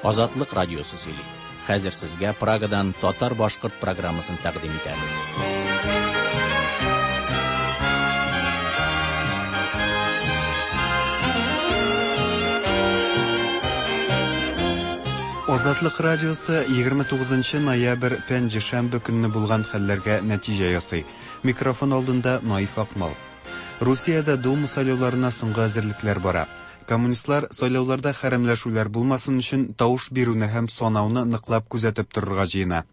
Азатлык радиосы сөйли. Хәзер сезгә Прагадан татар-башкорт программасын тәкъдим итәбез. Азатлык радиосы 29 ноябрь пәнҗешәмбе көнне булган хәлләргә нәтиҗә ясый. Микрофон алдында Наиф Акмал. Русиядә Дума сайлауларына соңгы әзерлекләр бара. Коммунистлар сайлауларда хәрәмләшүләр булмасын өчен тавыш бирүне һәм санауны ныклап күзәтеп торырга җыена.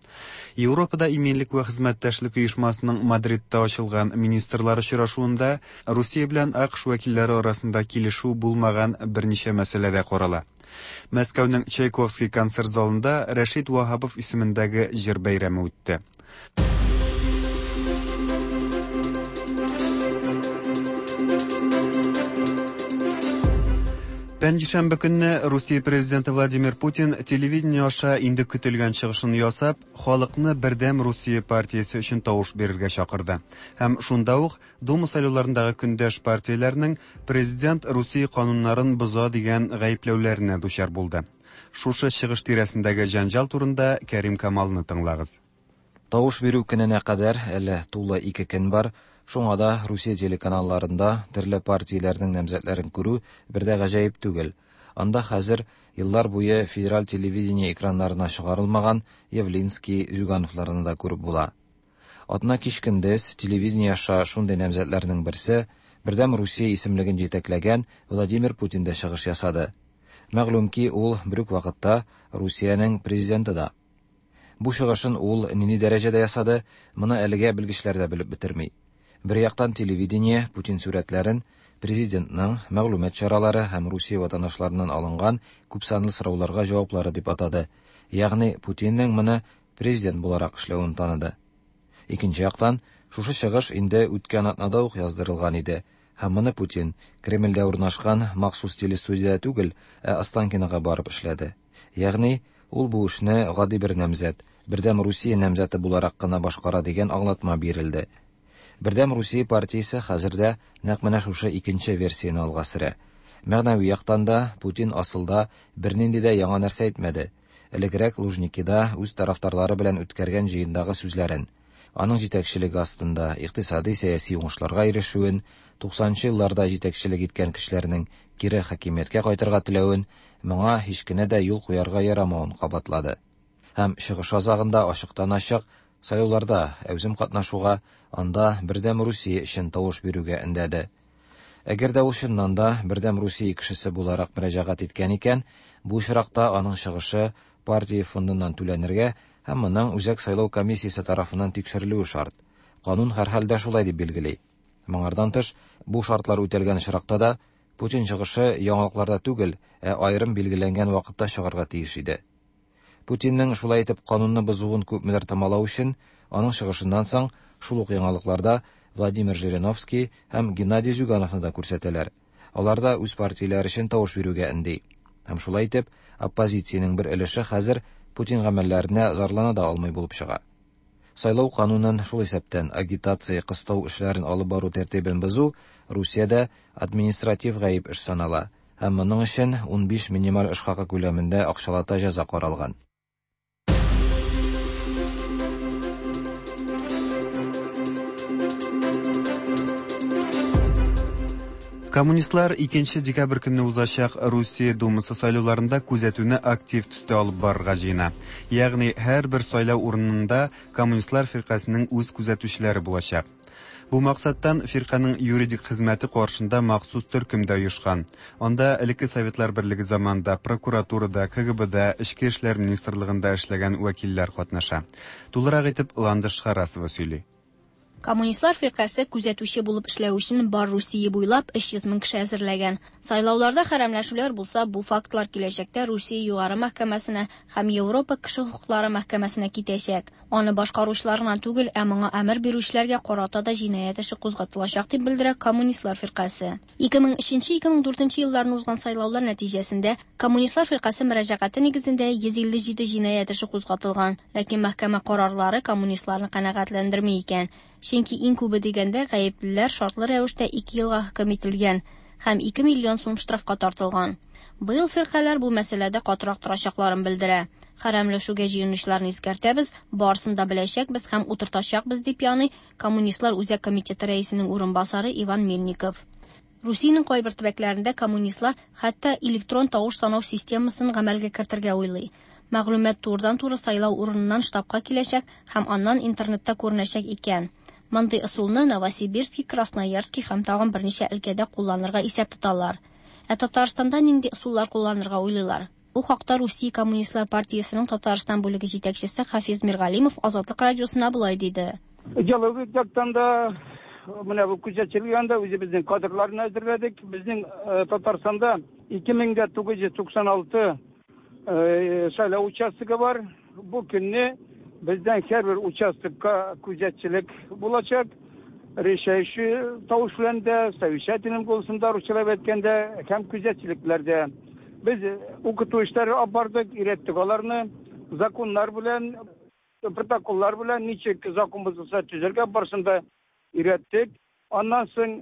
Европада иминлек вә хезмәттәшлек оешмасының Мадридта ачылган министрлар очрашуында Русия белән АКШ вәкилләре арасында килешү булмаган берничә мәсьәлә дә карала. Мәскәүнең Чайковский концерт залында Рәшит Ваһапов исемендәге җыр бәйрәме үтте. Пәнҗешәмбе көнне Русия президенты Владимир Путин телевидение аша инде көтелгән чыгышын ясап, халыкны Бердәм Русия партиясе өчен тавыш бирергә чакырды. Һәм шунда ук Дума сайлауларындагы көндәш партияләрнең президент Русия кануннарын боза дигән гаепләүләренә дучар булды. Шушы чыгыш тирәсендәге җәнҗал турында Кәрим Камалны тыңлагыз. Тавыш бирү көненә кадәр әле тулы 2 көн бар. Шуңа да Русия телеканалларында төрле партияләрнең намзәтләрен күрү бер дә гаҗәеп түгел. Анда хәзер еллар буе федераль телевидение экраннарына чыгарылмаган Явлинский, Зюгановларны да күреп була. Атна кич көндез телевидение аша шундый намзәтләрнең берсе Бердәм Русия исемлеген җитәкләгән Владимир Путин дә чыгыш ясады. Мәгълүм ки, ул бер үк вакытта Русиянең президенты да. Бу чыгышын ул нинди дәрәҗәдә ясады, моны әлегә белгечләр дә белеп бетерми. Бер яктан телевидение Путин сурәтләрен президентның мәгълүмат чаралары һәм Русия ватандашларыннан алынган күпсанлы сорауларга җаваплары дип атады. Ягъни Путинның моны президент буларак эшләвен таныды. Икенче яктан, шушы чыгыш инде үткән атнада ук яздырылган иде. Һәм моны Путин Кремльдә урнашкан махсус телестудиядә түгел, ә Останкинога барып эшләде. Ягъни ул бу эшне гади бер намзәт, Бердәм Русия намзәте буларак кына башкара дигән аңлатма бирелде. Бердәм Русия партиясе хәзердә нәкъ менә шушы икенче версияне алга сөрә. Мәгънәви яктан да Путин асылда бернинди дә яңа нәрсә әйтмәде. Элегрәк Лужникида үз тарафдарлары белән үткәргән җыендагы сүзләрен, аның җитәкчелеге астында икътисади сәяси уңышларга ирешүен, 90нчы елларда җитәкчелек иткән кешеләрнең кире хакимияткә кайтырга теләвен, моңа һич кенә дә юл куярга ярамавын кабатлады. Һәм чыгыш азагында ачыктан-ачык сайлауларда әүзем катнашуга, анда Бердәм Русия өчен тавыш бирүгә өндәде. Әгәр дә ул чыннан да Бердәм Русия кешесе буларак мөрәҗәгать иткән икән, бу очракта аның чыгышы партия фондыннан түләнергә һәм моның Үзәк сайлау комиссиясе тарафыннан тикшерелүе шарт. Канун һәрхәлдә шулай дип билгели. Моңардан тыш, бу шартлар үтәлгән очракта да Путин чыгышы яңалыкларда түгел, ә аерым билгеләнгән вакытта чыгарга тиеш иде. Путинның шулай итеп канунны бозуын күпмедер томалау өчен, аның чыгышыннан соң шул ук яңалыкларда Владимир Жириновский һәм Геннадий Зюгановны да күрсәтәләр. Алар да үз партияләре өчен тавыш бирүгә өнди. Һәм шулай итеп, оппозициянең бер өлеше хәзер Путин гамәлләренә зарлана да алмый булып чыга. Сайлау канунын, шул исәптән агитация, кыстау эшләрен алып бару тәртибен бозу Русиядә административ гаеп эш санала һәм моның өчен 15 минималь эш хакы күләмендә акчалата җәза каралган. Коммунистлар 2 декабрь көнне узачак Русия Думасы сайлауларында күзәтүне актив төстә алып барырга җыена. Ягъни һәрбер сайлау урынында коммунистлар фиркасының үз күзәтүчеләре булачак. Бу максаттан фирканың юридик хезмәте каршында махсус төркем дә оешкан. Анда элекке Советлар Берлеге заманында прокуратурада, КГБда, Эчке эшләр министрлыгында эшләгән вәкилләр катнаша. Тулырак итеп Ландыш Харасова сөйли. Коммунистлар фиркасе күзәтүче булып эшләү өчен бар Русия буйлап 300 мең кеше әзерләгән. Сайлауларда хәрәмләшүләр булса, бу фактлар киләчәктә Русия югары мәхкәмәсенә һәм Европа кеше хокуклары мәхкәмәсенә китәчәк. Аны башкаручылар гына түгел, ә моңа әмер бирүчеләргә карата да җинаять эше кузгатылачак дип белдерә Коммунистлар фиркасе. 2003-2004 елларны узган сайлаулар нәтиҗәсендә Коммунистлар фиркасе мөрәҗәгате нигезендә 157 җинаять эше кузгатылган, ләкин мәхкәмә карарлары коммунистларны канәгатьләндерми икән. Чөнки иң күбе дигәндә гаеплеләр шартлы рәвештә 2 елга хөкем ителгән һәм 2 миллион сум штрафка тартылган. Быел фиркаләр бу мәсьәләдә катырак торачакларын белдерә. Хәрәмләшүгә җыенучыларны искәртәбез, барысын да беләчәкбез һәм утыртачакбыз, дип яный Коммунистлар Үзәк комитеты рәисенең урынбасары Иван Мельников. Русиянең кайбер төбәкләрендә коммунистлар хәтта электрон тавыш санау системасын гамәлгә кертергә уйлый. Мәгълүмат турыдан-туры сайлау урыныннан штабка киләчәк һәм аннан интернетта күренәчәк икән. Мондый ысулны Новосибирски, Красноярски һәм тагын берничә өлкәдә кулланырга исәп тоталар. Ә Татарстанда нинди ысуллар кулланырга уйлыйлар? Бу хакта Русия Коммунистлар партиясенең Татарстан бүлеге җитәкчесе Хафиз Миргалимов Азатлык радиосына болай диде. Идеологик яктан да менә бу күзәтчелек янында үзебезнең кадрларны әзерләдек. Безнең Татарстанда 2996 сайлау участогы бар. Бу көнне бездән һәрбер участокка күзәтчелек булачак. Решающий тавыш белән дә, совещательным голосом да, русчалап әйткәндә, һәм күзәтчелекләрдә. Без укыту эшләре алып бардык, өйрәттек аларны законнар белән, протоколлар белән ничек закон бозылса төзергә барысын да өйрәттек. Аннан соң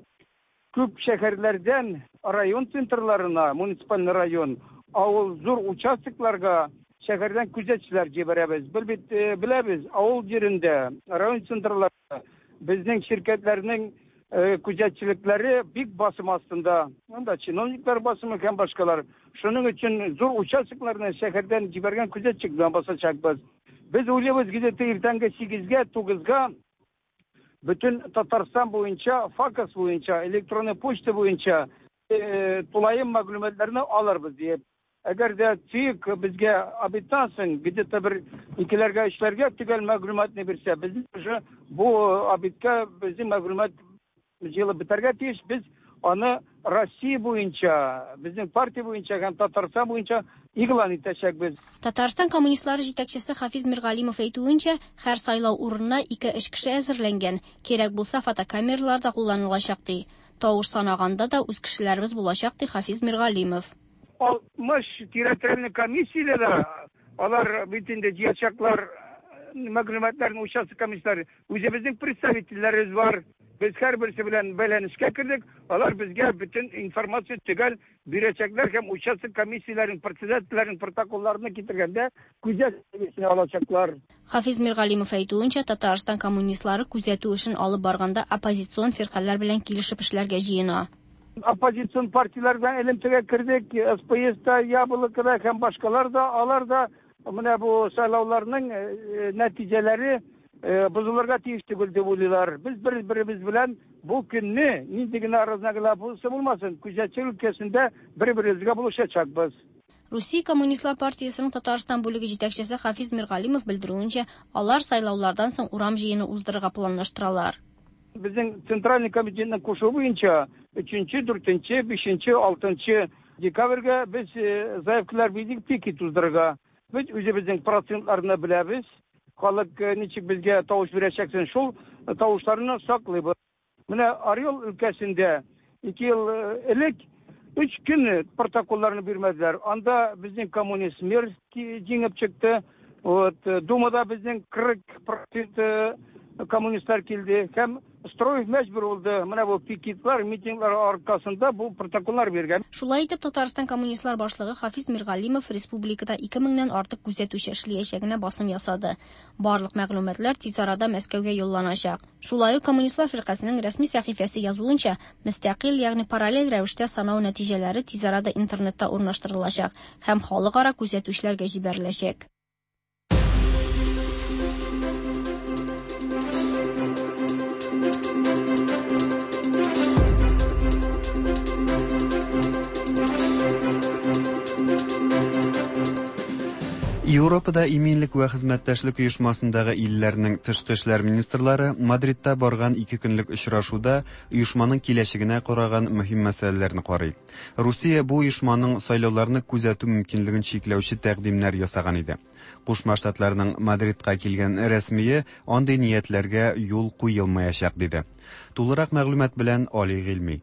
күп шәһәрләрдән район центрларына, муниципальный район, авыл зур участокларга шәһәрдән күзәтчеләр җибәрәбез. Бел бит беләбез, авыл җирендә, район центрларында безнең ширкәтләрнең күзәтчелекләре бик басым астында. Анда чиновниклар басымы һәм башкалар. Шуның өчен зур участокларны шәһәрдән җибәргән күзәтчек белән басачакбыз. Без уйлыйбыз, где-то иртәнге 8-гә, 9-га бөтен Татарстан буенча, ФАКС буенча, электронный почта буенча тулаем мәгълүматларны алырбыз диеп. Әгәр дә ЦИК безгә обедтан соң где-то бер икеләргә, өчләргә төгәл мәгълүматны бирсә, без уже бу обедка безнең мәгълүмат җыелып бетәргә тиеш. Без аны Россия буенча, безнең партия буенча һәм Татарстан буенча игълан итәчәкбез. Татарстан коммунистлары җитәкчесе Хафиз Миргалимов әйтүенчә, һәр сайлау урынына 2-3 кеше әзерләнгән. Кирәк булса, фотокамералар да кулланылачак ди. Тавыш санаганда да үз кешеләребез булачак ди Хафиз Миргалимов. 60 территориальный комиссияләре, алар бит инде җыячаклар мәгълүматларын участок комиссияләре. Үзебезнең представительләребез бар. Без һәрберсе белән бәйләнешкә кердек. Алар безгә бөтен информация төгәл бирәчәкләр һәм участок комиссияләренең председательләренең протоколларны китергәндә күзәтү алачаклар. Хафиз Миргалимов әйтүенчә, Татарстан коммунистлары күзәтү эшен алып барганда оппозицион фиркаләр белән килешеп эшләргә җыена. Оппозицион партияләр белән элемтәгә кердек, СПС та, Яблоко да һәм башкалар да, алар да менә бу сайлауларның нәтиҗәләре бозылырга тиеш түгел дип уйлыйлар. Без бер-беребез белән бу көнне нинди генә разногласие булмасын, күзәтчелек өлкәсендә бер-беребезгә булышачакбыз. Русия Коммунистлар партиясенең Татарстан бүлеге җитәкчесе Хафиз Миргалимов белдерүенчә, алар сайлаулардан соң урам җыены уздырырга планлаштыралар. Безнең Центральный комитетның кушуы буенча 3-нче, 4-нче, 5-нче, 6-нчы декабрьгә без заявкалар бирдек пикет уздырырга. Без үзебезнең процентларны беләбез. Халык ничек безгә тавыш бирәчәксен, шул тавышларны саклыйбыз. Менә Орел өлкәсендә 2 ел элек 3 көн протоколларны бирмәделәр. Анда безнең коммунист мэр җиңеп чыкты. Вот, Думада безнең 40% коммунистлар килде һәм Строев мәҗбүр булды. Менә бу пикетлар, митинглар аркасында бу протоколлар биргән. Шулай итеп, Татарстан коммунистлар башлыгы Хафиз Миргалимов республикада 2000-нән артык күзәтүче эшләячәгенә басым ясады. Барлык мәгълүматлар тиз арада Мәскәүгә юлланачак. Шулай ук Коммунистлар фиркасының рәсми сәхифәсе язуынча, мөстәкыйль, ягъни параллель рәвештә санау нәтиҗәләре тиз арада интернетта урнаштырылачак һәм халыкара күзәтүчеләргә җибәреләчәк. Европада иминлек вә хезмәттәшлек оешмасындагы илләрнең тышкы эшләр министрлары Мадридта барган 2 көнлек очрашуда оешманың киләчәгенә караган мөһим мәсьәләләрне карый. Русия бу оешманың сайлауларны күзәтү мөмкинлеген чикләүче тәкъдимнәр ясаган иде. Кушма Штатларның Мадридка килгән рәсмие андый ниятләргә юл куелмаячак диде. Тулырак мәгълүмат белән Али Гыйльми.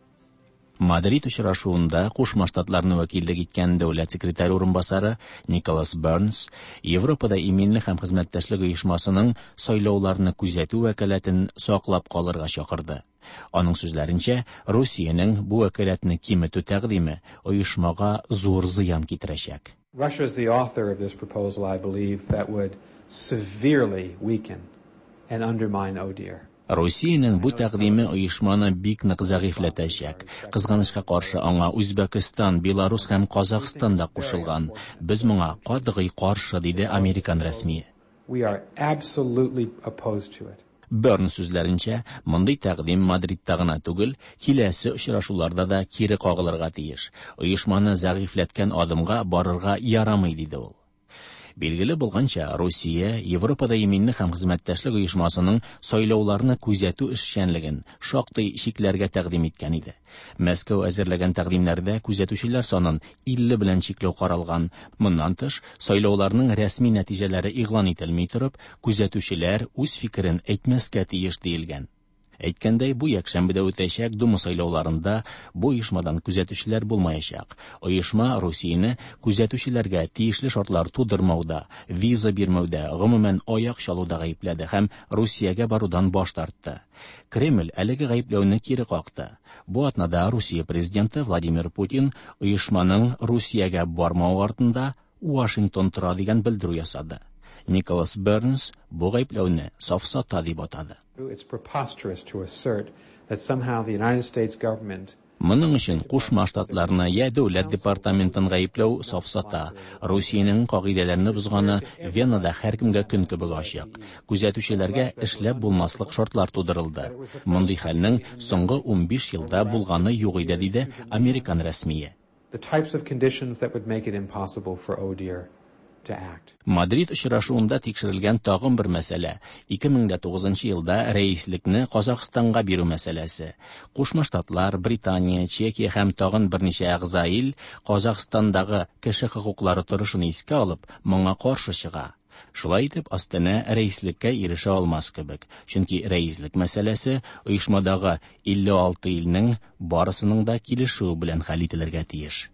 Мадрид очрашуында Кушма Штатларны вәкиллек иткән дәүләт секретаре урынбасары Николас Бернс Европада иминлек һәм хезмәттәшлек оешмасының сайлауларны күзәтү вәкаләтен саклап калырга чакырды. Аның сүзләренчә, Русиянең бу вәкаләтне киметү тәкъдиме оешмага зур зыян китерәчәк. Russia is the author of this proposal, I believe, that would severely weaken and undermine ODIHR. Русиянең бу тәкъдиме оешманы бик нык зәгыйфьләтәчәк. Кызганычка каршы, аңа Үзбәкстан, Беларус һәм Казахстан да кушылган. Без моңа катгый каршы, диде американ рәсмие. We are absolutely opposed to it. Бернс сүзләренчә, мондый тәкъдим Мадридта гына түгел, киләсе очрашуларда да кире кагылырга тиеш. Оешманы зәгыйфьләткән адымга барырга ярамый, диде ул. Билгеле булганча, Русия Европада иминлек һәм хезмәттәшлек оешмасының сайлауларны күзәтү эшчәнлеген шактый чикләргә тәкъдим иткән иде. Мәскәү әзерләгән тәкъдимнәрдә күзәтүчеләр санын 50 белән чикләү каралган. Моннан тыш, сайлауларның рәсми нәтиҗәләре игълан ителми торып, күзәтүчеләр үз фикерен әйтмәскә тиеш диелгән. Әйткәндәй, бу якшәмбедә үтәчәк Дума сайлауларында бу оешмадан күзәтүчеләр булмаячак. Оешма Русияне күзәтүчеләргә тиешле шартлар тудырмауда, виза бирмәүдә, гомумән аяк чалуда гаепләде һәм Русиягә барудан баш тартты. Кремль әлеге гаепләүне кире какты. Бу атнада Русия президенты Владимир Путин оешманың Русиягә бармавы артында Вашингтон тора дигән белдерү ясады. Николас Бернс бу гаепләүне сафсата дип атады. It's preposterous to assert that somehow the United States government Моның өчен Кушма Штатларны я дәүләт департаментын гаепләү сафсата. Русиянең кагыйдәләрне бозганы Венада һәркемгә көн кебек ачык. Күзәтүчеләргә эшләп булмаслык шартлар тудырылды. Мондый хәлнең соңгы 15 елда булганы юк иде, диде американ рәсмие. the types of conditions that would make it impossible for ODIHR to act. Мадрид очрашуында тикшерелгән тагын бер мәсьәлә 2009 елда рәислекне Казахстанга бирү мәсьәләсе. Кушма Штатлар, Британия, Чехия һәм тагын берничә әгъза ил Казахстандагы кеше хокуклары торышын искә алып, моңа каршы чыга. Шулай итеп, Астана рәислеккә ирешә алмас кебек, чөнки рәислек мәсьәләсе оешмадагы 56 илнең барысының да килешүе белән хәл ителергә тиеш.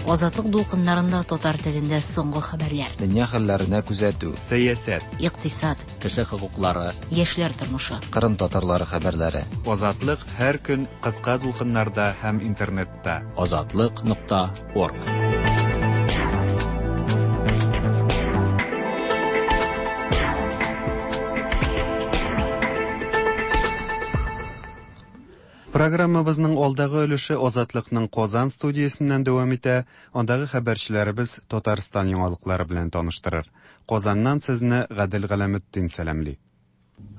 Азатлык дулкыннарында татар телендә соңгы хәбәрләр. Дөнья хәлләренә күзәтү. Сәясәт, Икътисад, Кеше хокуклары, яшьләр тормышы. Кырым татарлары хәбәрләре. Азатлык һәр көн кыска дулкыннарда һәм интернетта. Азатлык.орг. Программабызның алдагы өлеше Азатлыкның Казан студиясеннән дәвам итә. Андагы хәбәрчеләребез Татарстан яңалыклары белән таныштырыр. Казаннан сезне Гадел Галәметдин сәламли.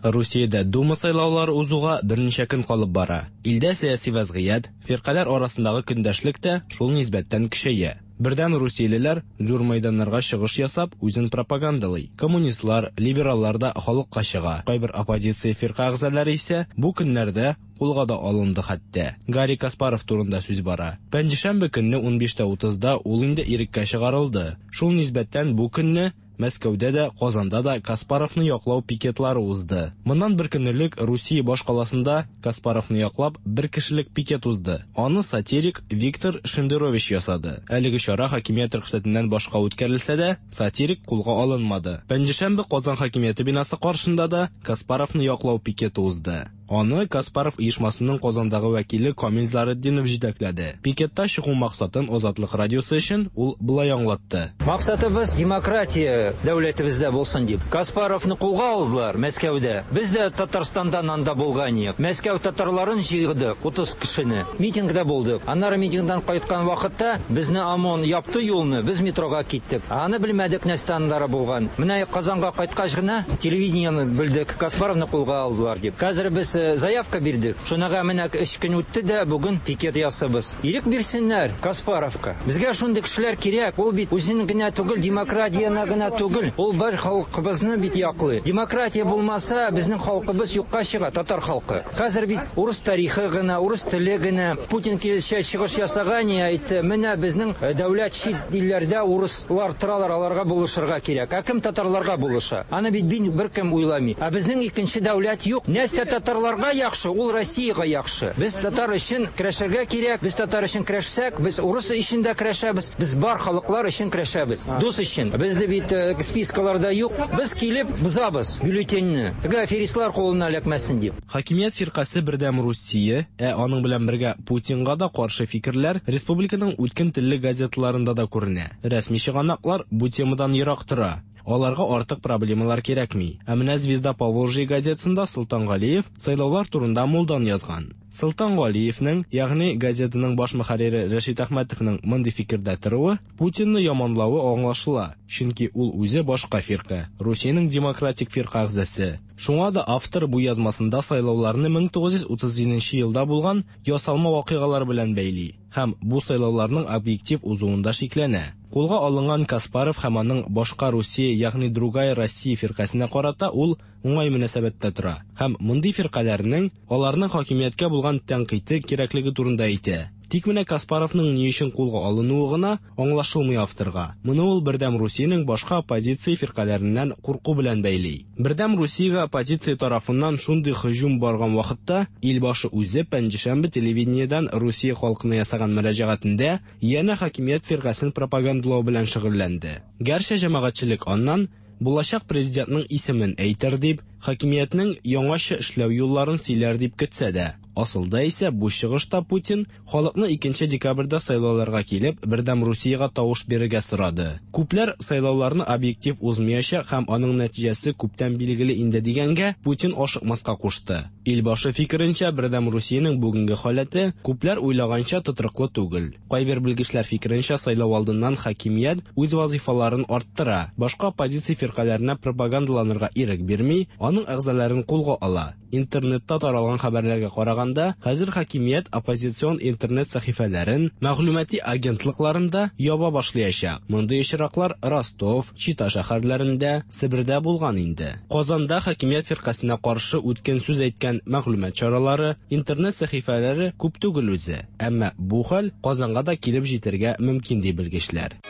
Русиядә Дума сайлаулары узуга берничә көн калып бара. Илдә сәяси вәзгыять, фиркаләр арасындагы көндәшлек тә шул нисбәттән көчәя. Бердәм русиялеләр зур мәйданнарга чыгыш ясап, үзен пропагандалый. Коммунистлар, либераллар да халыкка чыга. Кайбер оппозиция фирка әгъзалары исә бу көннәрдә кулга да алынды хәтта. Гарри Каспаров турында сүз бара. Пәнҗешәмбе көнне 15:30да ул инде иреккә чыгарылды. Шул нисбәттән бу көнне Мәскәүдә дә, Казанда да Каспаровны яклау пикетлары узды. Моннан бер көн элек Русия баш каласында Каспаровны яклап бер кешелек пикет узды. Аны сатирик Виктор Шендерович ясады. Әлеге чара хакимият рөхсәтеннән башка үткәрелсә дә, сатирик кулга алынмады. Пәнҗешәмбе Казан хакимияте бинасы каршында да Каспаровны яклау пикеты узды. Аны Каспаров оешмасының Казандагы вәкиле Камил Заретдинов җитәкләде. Пикетта чыгу максатын Азатлык радиосы өчен ул болай аңлатты. Максатыбыз демократия дәүләтебездә булсын дип. Каспаровны кулга алдылар Мәскәүдә. Без дә Татарстандан анда булган идек. Мәскәү татарларын җыйдык, 30 кешене. Митингда булдык. Аннары митингдан кайткан вакытта безне ОМОН япты юлны, без метрога киттек. Аны белмәдек нәрсә аннары булган. Менә Казанга кайткач кына телевидениене белдек, Каспаровны кулга алдылар дип. Хәзер без заявка бирдек. Шунага менә 3 көн үтте дә бүген пикет ясабыз. Ирек бирсеннәр Каспаровка. Безгә шундый кешеләр кирәк. Ул бит үзен генә түгел, демократияне генә түгел. Ул бар халкыбызны бит яклый. Демократия булмаса, безнең халкыбыз юкка чыга, татар халкы. Хәзер бит урыс тарихы гына, урыс теле генә. Путин килешә чыгыш ясаган, әйтте, менә безнең дәүләт чит илләрдә урыслар торалар, аларга булышырга кирәк. Ә кем татарларга булыша? Аны бит беркем уйламый. Ә безнең икенче дәүләт юк. Нәрсә татарлар татарларга яхшы, ул Россиягә яхшы. Без татар өчен көрәшергә кирәк. Без татар өчен көрәшсәк, без урыс өчен дә көрәшәбез. Без бар халыклар өчен көрәшәбез. Дус өчен. Безне бит э, спискаларда юк. Без килеп бозабыз бюллетеньне. Теге аферистлар кулына эләкмәсен дип. Хакимият фиркасе Бердәм Русия, ә аның белән бергә Путинга да каршы фикерләр республиканың үткен телле газеталарында да күренә. Рәсми чыганаклар бу темадан ерак тора. Аларга артык проблемалар кирәкми. Ә менә Звезда Поволжья газетасында Солтан Галиев сайлаулар турында мулдан язган. Солтан Галиевнең, ягъни газетаның баш мөхәррире Рәшит Әхмәтовның мондый фикердә торуы Путинны яманлавы аңлашыла, чөнки ул үзе башка фирка, Русиянең демократик фирка әгъзасы. Шуңа да автор бу язмасында сайлауларны 1937 елда булган ясалма вакыйгалар белән бәйли һәм бу сайлауларның объектив узуында шикләнә. Кулга алынган Каспаров һәм аның Башка Русия, ягъни Другая Россия фиркасенә карата ул уңай мөнәсәбәттә тора һәм мондый фиркаләрнең аларның хакимияткә булган тәнкыйте кирәклеге турында әйтә. Тик менә Каспаровның ни өчен кулга алынуы гына аңлашылмый авторга. Моны ул Бердәм Русиянең башка оппозиция фиркаләреннән курку белән бәйли. Бердәм Русиягә оппозиция тарафыннан шундый һөҗүм барган вакытта, илбашы үзе пәнҗешәмбе телевидениедән Русия халкына ясаган мөрәҗәгатендә янә хакимият фиркасен пропагандалау белән шөгыльләнде. Гәрчә җәмәгатьчелек аннан булачак президентның исемен әйтер дип, хакимиятнең яңача эшләү юлларын сөйләр дип көтсә дә, асылда исә бу чыгышта Путин халыкны 2 декабрьдә сайлауларга килеп, Бердәм Русиягә тавыш бирергә сорады. Күпләр сайлауларны объектив узмаячак һәм аның нәтиҗәсе күптән билгеле инде дигәнгә, Путин ашыкмаска кушты. Илбашы фикеренчә, Бердәм Русиянең бүгенге халәте күпләр уйлаганча тотрыклы түгел. Кайбер белгечләр фикеренчә, сайлау алдыннан хакимият үз вазифаларын арттыра, башка оппозиция фиркаләренә пропагандаланырга ирек бирми, аның әгъзаларын кулга ала. Интернетта таралган хәбәрләргә караганда, хәзер хакимият оппозицион интернет сәхифәләрен, мәгълүмати агентлыкларын да яба башлаячак. Мондый очраклар Ростов, Чита шәһәрләрендә, Себердә булган инде. Казанда хакимият фиркасенә каршы үткен сүз әйткән мәгълүмат чаралары, интернет сәхифәләре күп түгел үзе. Әмма бу хәл Казанга да килеп җитәргә мөмкин ди белгечләр.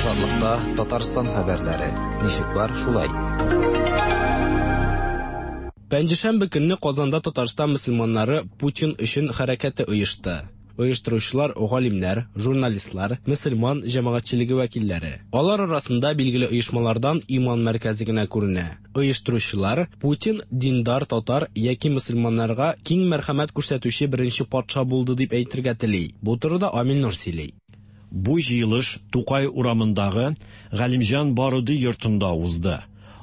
Азатлыкта Татарстан хәбәрләре. Ничек бар, шулай. Пәнҗешәмбе көнне Казанда Татарстан мөселманнары Путин өчен хәрәкәте оешты. Оештыручылар галимнәр, журналистлар, мөселман җәмәгатьчелеге вәкилләре. Алар арасында билгеле оешмалардан Иман мәркәзе генә күренә. Оештыручылар Путин диндар татар яки мөселманнарга киң мәрхәмәт күрсәтүче беренче патша булды дип әйтергә тели. Бу турыда Амил Нур сөйли. Бу җыелыш Тукай урамындагы Галимҗан Баруди йортында узды.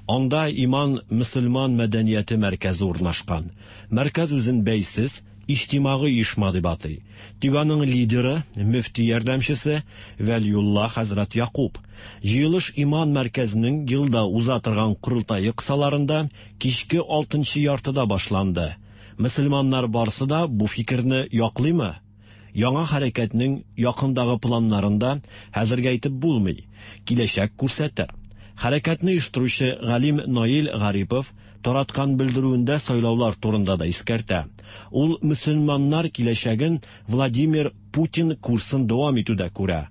Анда Иман мөселман мәдәнияте мәркәзе урнашкан. Мәркәз үзен бәйсез, иҗтимагый оешма дип атый. Тик аның лидеры, мөфти ярдәмчесе Вәлиулла хәзрәт Якуб. Җыелыш Иман мәркәзенең елда уза торган корылтае кысаларында кичке 6 яртыда башланды. Мөселманнар барсы да бу фикерне яклыймы? Яңа хәрәкәтнең якындагы планнарында хәзергә әйтеп булмый. Киләчәк күрсәтә. Хәрәкәтне оештыручы галим Наил Гарипов тараткан белдерүендә сайлаулар турында да искәртә. Ул мөселманнар киләчәген Владимир Путин курсын дәвам итүдә күрә.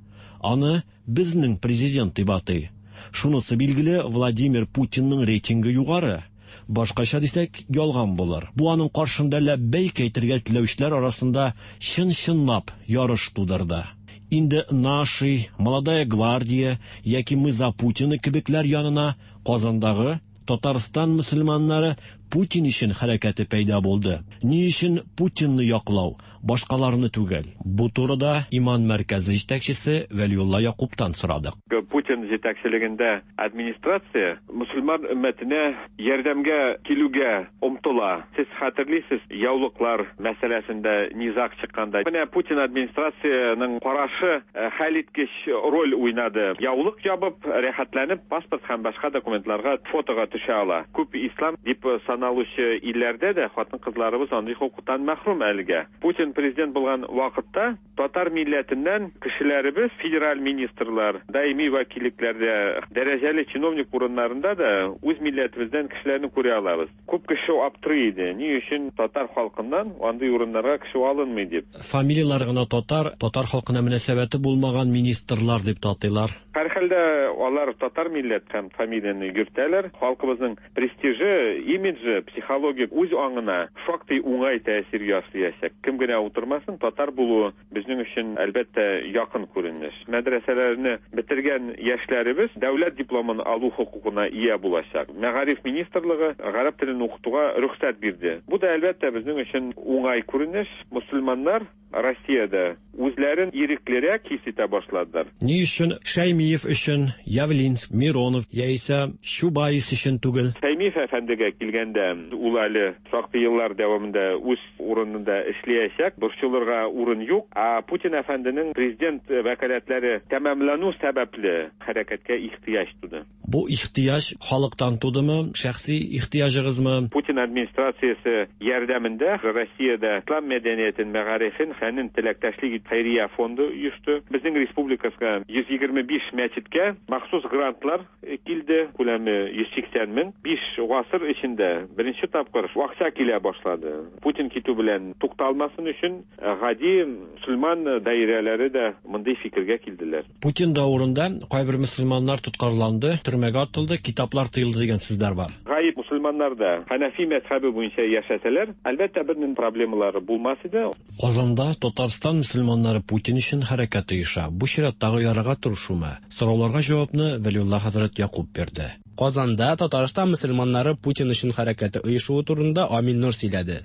Аны безнең президент дип атый. Шунысы билгеле, Владимир Путинның рейтингы югары. Башкача дисәк, ялган булыр. Бу аның каршында ләббәйк әйтергә теләүчеләр арасында чын-чынлап ярыш тудырды. Инде Наши, Молодая гвардия яки Мы за Путина кебекләр янына Казандагы Татарстан мөселманнары Путин өчен хәрәкәте пәйда булды. Ни өчен Путинны яклау, башкаларны түгел? Бу турыда Иман мәркәзе җитәкчесе Вәлиулла Якубтан сорадык. Путин җитәкчелегендә администрация мөселман өммәтенә ярдәмгә килүгә омтыла. Сез хәтерлисез, яулыклар мәсьәләсендә низаг чыкканда. Менә Путин администрацияның карашы хәлиткеч роль уйнады. Яулык ябып, рәхәтләнеп паспорт һәм башка документларга фотога төшә ала. Күп ислам дип саналучы илләрдә дә хатын-кызларыбыз андый хокуктан мәхрүм әлегә. Путин президент булган вакытта татар милләтеннән кешеләребез федераль министрлар, даими вәкиллекләрдә, дәрәҗәле чиновник урыннарында да үз милләтебездән кешеләрне күрә алабыз. Күп кеше аптырый иде. Ни өчен татар халкыннан андый урыннарга кеше алынмый дип. Фамилияләр гына татар, татар халкына мөнәсәбәте булмаган министрлар дип татыйлар. Һәрхәлдә Алар татар милләт һәм фамилияне йөртәләр. Халкыбызның престижы, имиджы, психологик үз аңына шактый уңай тәэсир ясыячак. Кем генә утырмасын, татар булуы безнең өчен, әлбәттә, якын күренеш. Мәдрәсәләрне бетергән яшьләребез дәүләт дипломын алу хокукына ия булачак. Мәгариф министрлыгы гарәп телен укытуга рөхсәт бирде. Бу да, әлбәттә, безнең өчен уңай күренеш. Мөселманнар Россиядә үзләрен иреклерәк хис итә башладылар. Ни өчен Шәймиев өчен, Явлинск, Миронов яисә Чубайс өчен түгел? Шәймиев әфәндегә килгәндә, ул әле шактый еллар дәвамында үз урынында эшләячәк, борчылырга урын юк. Ә Путин әфәнденең президент вәкаләтләре тәмамлану сәбәпле хәрәкәткә ихтыяҗ туды. Бу ихтыяҗ халыктан тудымы, шәхси ихтыяҗыгызмы? Путин администрациясе ярдәмендә Россиядә ислам мәдәниятен, мәгарифен, фәнен теләктәшлек хәйрия фонды оешты. Безнең республикага 125 мәчеткә махсус грантлар килде, күләме 180 мең. 5 гасыр эчендә беренче тапкыр акча килә башлады. Путин китү белән тукталмасын өчен гади мөселман даирәләре дә мондый фикергә килделәр. Путин дәверендә кайбер мөселманнар тоткарланды, төрмәгә атылды, китаплар тыелды дигән сүзләр бар. Гаеп мөселманнар да Хәнәфи мәзһәбе буенча яшәсәләр, әлбәттә, бернинди проблемалары булмас иде. Казанда Татарстан мөселманнары Путин өчен хәрәкәт оеша. Бу чираттагы ярага торышумы? Сорауларга җавапны Вәлиулла хәзрәт Якуб бирде. Казанда Татарстан мөселманнары Путин өчен хәрәкәте оешуы турында Амин Нур сөйләде.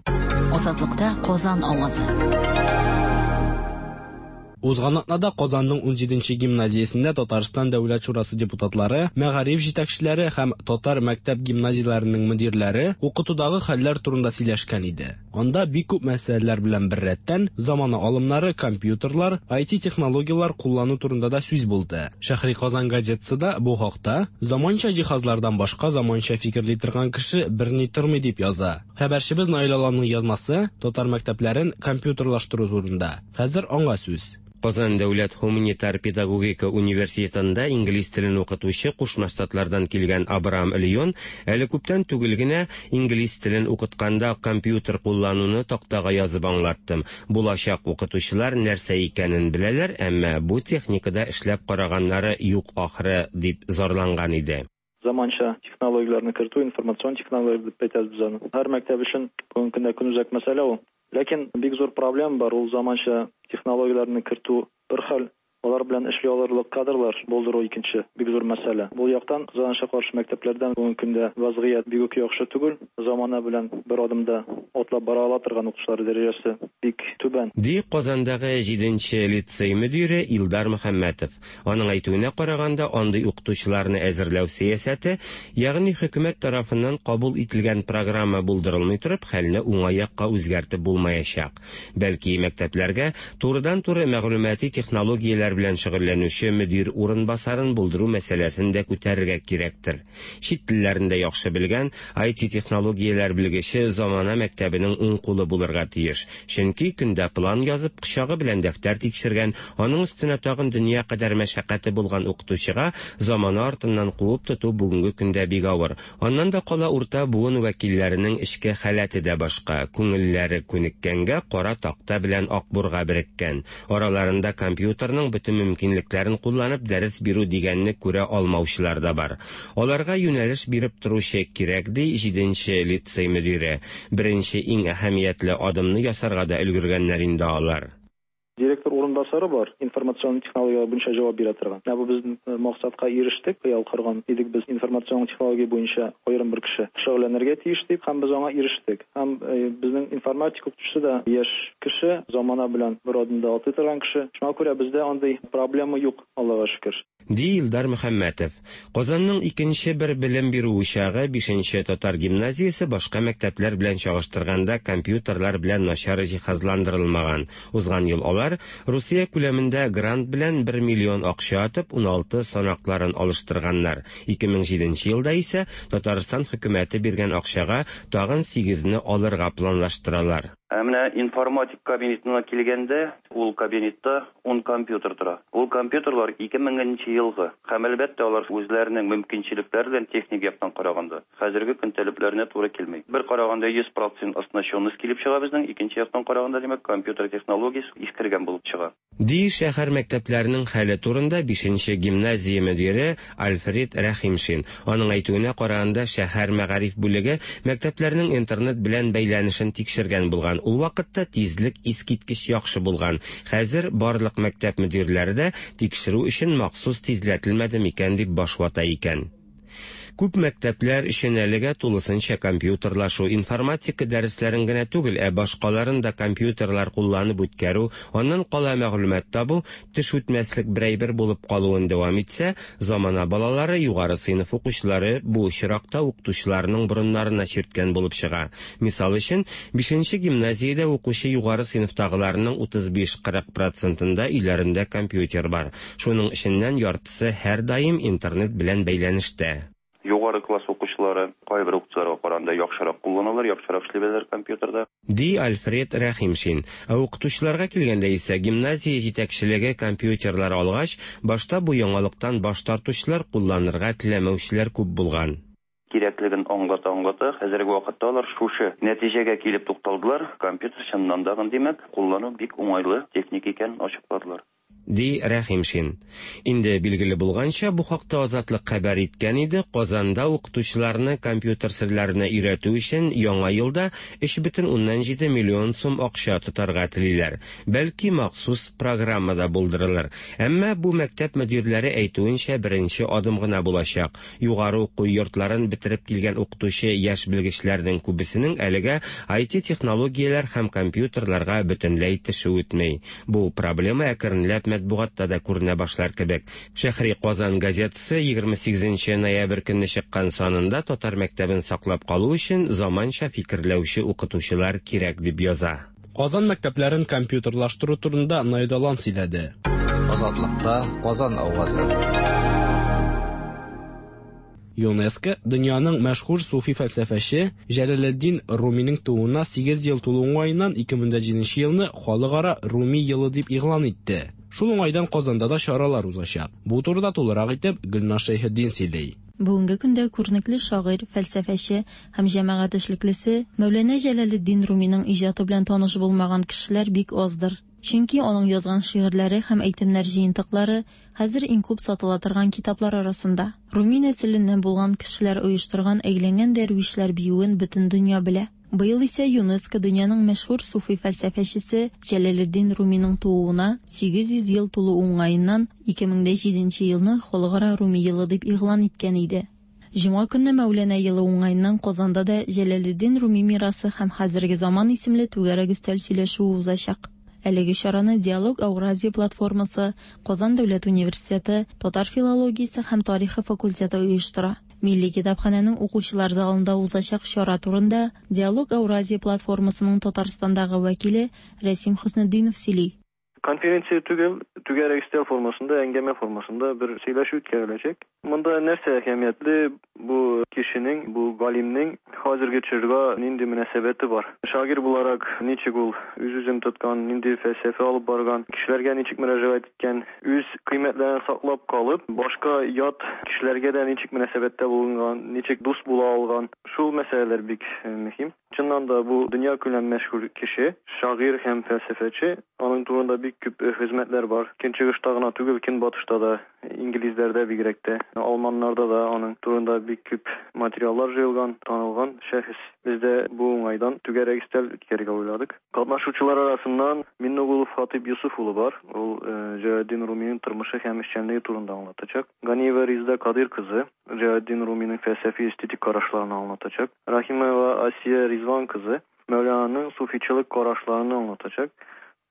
Азатлыкта Казан авазы. Узган атнада Казанның 17нче гимназиясендә Татарстан Дәүләт шурасы депутатлары, мәгариф җитәкчеләре һәм татар мәктәп гимназияләренең мөдирләре укытудагы хәлләр турында сөйләшкән иде. Анда бик күп мәсьәләләр белән беррәттән замана алымнары, компьютерлар, IT технологияләр куллану турында да сүз булды. Шәһри Казан газетасы да бу хакта заманча җиһазлардан башка заманча фикерли торган кеше берни тормый дип яза. Хәбәрчебез Наил Аланның язмасы татар мәктәпләрен компьютерлаштыру турында. Хәзер аңа сүз. Казан дәүләт һуманитар педагогика университетында инглиз телен укытучы Кушма Штатлардан килгән Абрам Леон әле күптән түгел генә инглиз телен укытканда компьютер куллануны тактага язып аңлаттым. Булачак укытучылар нәрсә икәнен беләләр, әмма бу техникада эшләп караганнары юк ахры, дип зарланган иде. Заманча технологияләрне кертү, информацион технология дип әйтәбез без аны. Һәр мәктәп өчен бүгенге көндә көнүзәк мәсьәлә ул. Ләкин бик зур проблема бар, ул заманча технологияләрне кертү бер хәл, алар белән эшли алырлык кадрлар булдыру икенче бик зур мәсьәлә. Бу яктан, кызганычка каршы, мәктәпләрдә бүгенге көндә вазгыять бик үк яхшы түгел. Замана белән бер адымда атлап бара ала торган укытучылар дәрәҗәсе бик түбән. Ди Казандагы 7нче лицей мөдире Илдар Мөхәммәтов. Аның әйтүенә караганда, андый укытучыларны әзерләү сәясәте, ягъни хөкүмәт тарафыннан кабул ителгән программа булдырылмый торып, хәлне уңай якка үзгәртеп булмаячак. Бәлки мәктәпләргә турыдан-туры мәгълүмати технологияләр белән шөгыльләнүче мөдир урынбасарын булдыру мәсьәләсен дә күтәрергә кирәктер. Чит телләрен дә яхшы белгән IT технологияләр белгече замана мәктәбенең уң кулы булырга тиеш. Чөнки көндә план язып, кочагы белән дәфтәр тикшергән, аның өстенә тагын дөнья кадәр мәшәкате булган укытучыга замана артыннан куып тоту бүгенге көндә бик авыр. Аннан да кала урта буын вәкилләренең эчке халәте дә башка, күңелләре күнеккәнгә кара такта белән акбурга береккән. Араларында компьютерның бөтен мөмкинлекләрен кулланып дәрес бирү дигәнне күрә алмаучылар да бар. Аларга юнәлеш биреп торучы кирәк, ди 7нче лицей мөдире. Беренче иң әһәмиятле адымны ясарга да өлгергәннәр инде алар. Директор урынбасары бар, информацион технологияләр буенча җавап бирә торган. Менә бу без максатка ирештек, хыял корган идек без информацион технология буенча аерым бер кеше шөгыльләнергә тиеш дип, һәм без аңа ирештек. Һәм безнең информатика укытучысы да яшь кеше, замана белән бер адымда атлый торган кеше. Шуңа күрә бездә андый проблема юк, Аллага шөкер. Ди Илдар Мөхәммәтов. Казанның икенче бер белем бирү учагы 5нче татар гимназиясе башка мәктәпләр белән чагыштырганда компьютерлар белән начар җиһазландырылмаган. Узган ел алар Русия күләмендә грант белән 1 миллион акча атып 16 санакларын алыштырганнар. 2007 елда исә Татарстан хөкүмәте биргән акчага тагын 8-не алырга планлаштыралар. Ә менә информатик кабинетына килгәндә, ул кабинетта 10 компьютер тора. Ул компьютерлар 2000 нче елгы. Һәм, әлбәттә, алар үзләренең мөмкинчелекләре белән техник яктан караганда, хәзерге көн таләпләренә туры килми. Бер караганда 100 процент оснащенность килеп чыга безнең, икенче яктан караганда, димәк, компьютер технологиясе искергән булып чыга. Ди шәһәр мәктәпләренең хәле турында бишенче гимназия мөдире Альфред Рәхимшин. Аның әйтүенә караганда, шәһәр мәгариф бүлеге мәктәпләрнең интернет белән бәйләнешен тикшергән булган. Ул вакытта тизлек искиткеч яхшы булган. Хәзер барлык мәктәп мөдирләре дә тикшерү өчен махсус тизләтелмәде микән дип баш вата икән. Күп мәктәпләр өчен әлегә тулысынча компьютерлашу, информатика дәресләрен генә түгел, ә башкаларын да компьютерлар кулланып үткәрү, аннан кала мәгълүмат табу, теш үтмәслек бер әйбер булып калуын дәвам итсә, замана балалары, югары сыйныф укучылары бу очракта укытучыларының борыннарына чирткән булып чыга. Мисал өчен, бишенче гимназиядә укучы югары сыйныфтагыларның 35-40 процентында өйләрендә компьютер бар. Шуның эченнән яртысы һәрдаим интернет белән бәйләнештә. Югары класс укучылары кайбер укытучыларга караганда яхшырак кулланалар, яхшырак эшли беләләр компьютерда. Ди Альфред Рәхимшин. Ә укытучыларга килгәндә исә, гимназия җитәкчелеге компьютерлар алгач, башта бу яңалыктан баш тартучылар, кулланырга теләмәүчеләр күп булган. Кирәклеген аңлата-аңлата, хәзерге вакытта алар шушы нәтиҗәгә килеп тукталдылар, компьютер чыннан да, димәк, куллану бик уңайлы техника икәнен ачыкладылар. Ди Рәхимшин. Инде билгеле булганча, бу хакта Азатлык хәбәр иткән иде, Казанда укытучыларны компьютер серләренә өйрәтү өчен яңа елда 3,7 миллион сум акча тотарга телиләр. Бәлки, махсус программа да булдырылыр. Әмма бу мәктәп мөдирләре әйтүенчә, беренче адым гына булачак. Югары уку йортларын бетереп килгән укытучы яшь белгечләрнең күбесенең әлегә IT-технологияләр һәм компьютерларга бөтенләй теше үтми. Бу проблема әкренләп матбугатта да күренә башлар кебек. Шәһри Казан газетасы 28 ноябрь көнне чыккан санында татар мәктәбен саклап калу өчен заманча фикерләүче укытучылар кирәк дип яза. Казан мәктәпләрен компьютерлаштыру турында Наидалан сөйләде. Азатлыкта Казан авазы. ЮНЕСКО дөньяның мәшһүр суфи фәлсәфәче Җәләлетдин Руминың тууына 8 ел тулу уңаеннан 2007 елны Халыкара Руми елы дип игълан итте. Шул уңайдан Казанда да чаралар узачак. Бу турыда тулырак итеп Гөлназ Шәйхетдин сөйли. Бүгенге көндә күренекле шагыйрь, фәлсәфәче һәм җәмәгать эшлеклесе Мәүләнә Җәләлетдин Руминың иҗаты белән таныш булмаган кешеләр бик аздыр. Чөнки аның язган шигырьләре һәм әйтемнәр җыентыклары хәзер иң күп сатыла торган китаплар арасында. Руми нәселеннән булган кешеләр оештырган әйләнгән дәрвишләр биюен бөтен дөнья белә. Быел исә ЮНЕСКО дөньяның мәшһүр суфи фәлсәфәчесе Җәләлетдин Руминың тууына 800 ел тулу уңаеннан 2007 елны Халыкара Руми елы дип игълан иткән иде. Җомга көнне Мәүләнә елы уңаеннан Казанда да Җәләлетдин Руми мирасы һәм хәзерге заман исемле түгәрәк өстәл сөйләшүе узачак. Әлеге чараны Диалог Ауразия платформасы, Казан дәүләт университеты, татар филологиясе һәм тарихы факультеты оештыра. Милли китапханәнең укучылар залында узачак чара турында Диалог Ауразия платформасының Татарстандагы вәкиле Рәсим Хөснетдинов сөйли. Конференция түгел, түгәрәк өстәл формасында, әңгәмә формасында бер сөйләшү үткәреләчәк. Монда нәрсә әһәмиятле, бу кешенең, бу галимнең хәзерге чорга нинди мөнәсәбәте бар. Шагыйрь буларак ничек ул үз-үзен тоткан, нинди фәлсәфә алып барган, кешеләргә ничек мөрәҗәгать иткән, үз кыйммәтләрен саклап калып, башка ят кешеләргә дә ничек мөнәсәбәттә булынган, ничек дус була алган. Шул мәсьәләләр бик мөһим. Чыннан да бу дөньякүләм мәшһүр кеше, шагыйрь һәм фәлсәфәче. Аның турында бик күп хезмәтләр бар. Көнчыгышта гына түгел, көнбатышта да, инглизләрдә бигрәк тә, алманнарда да аның турында бик күп материаллар җыелган, танылган шәхес. Без дә бу уңайдан түгәрәк өстәл үткәрергә уйладык. Катнашучылар арасыннан Миннегулов Хатыйп Юсуф улы бар. Ул Җәләлетдин Руминың тормышы һәм эшчәнлеге турында аңлатачак. Ганиева Резеда Кадыйр кызы Җәләлетдин Руминың фәлсәфи эстетик карашларын аңлатачак. Рахимова Асия Ризван кызы Мәүлананың суфичылык карашларын аңлатачак.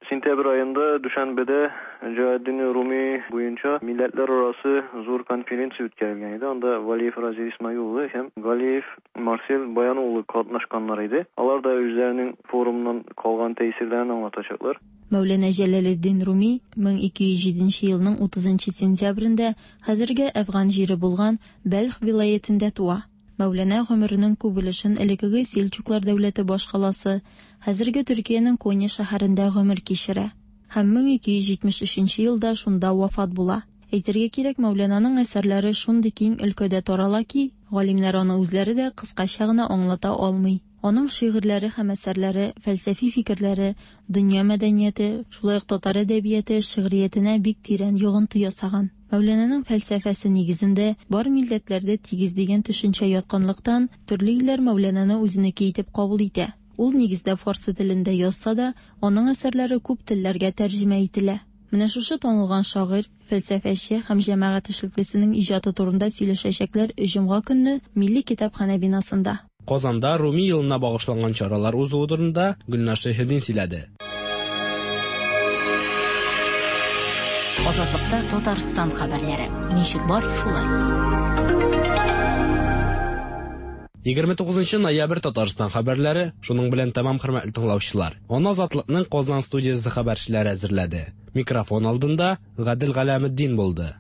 Сентябрь аенда Дүшәнбедә Җәләлетдин Руми буенча милләтләр арасы зур конференция үткәрелгән иде. Анда Валиев Разил Исмаил улы һәм Галиев Марсель Баян улы катнашканнар иде. Алар да үзләренең форумнан калган тәэсирләрен аңлатачаклар. Мәүләнә Җәләлетдин Руми 1207 елның 30 сентябрендә хәзерге Әфган җире булган Бәлх вилаятендә туа. Мәүләнә гомеренең күп өлешен элеккеге Сельчуклар дәүләте башкаласы, хәзерге Төркиянең Конья шәһәрендә гомер кичерә. Һәм 1273 елда шунда вафат була. Әйтергә кирәк, Мәүләнаның әсәрләре шундый киң өлкәдә тарала ки, галимнәр аны үзләре дә кыскача гына аңлата алмый. Аның шигырьләре һәм әсәрләре, фәлсәфи фикерләре дөнья мәдәнияте, шулай ук татар әдәбияте, шигъриятенә бик тирән йогынты ясаган. Мәүләнаның фәлсәфәсе нигезендә бар милләтләр дә тигез дигән төшенчә ятканлыктан, төрле илләр Мәүләнаны үзенеке итеп кабул итә. Ул нигездә фарсы телендә язса да, аның әсәрләре күп телләргә тәрҗемә ителә. Менә шушы танылган шагыйрь, фәлсәфәче һәм җәмәгать эшлеклесенең иҗаты турында сөйләшәчәкләр җомга көнне Милли китапханә бинасында. Казанда Руми елына багышланган чаралар узуы турында Гөлназ Шәйхетдин сөйләде. Азатлыкта Татарстан хәбәрләре. Ничек бар, шулай. 29 ноябрь Татарстан хәбәрләре шуның белән тәмам, хөрмәтле тыңлаучылар. Аны Азатлыкның Казан студиясе хәбәрчеләре әзерләде. Микрофон алдында Гадел Галәметдин булды.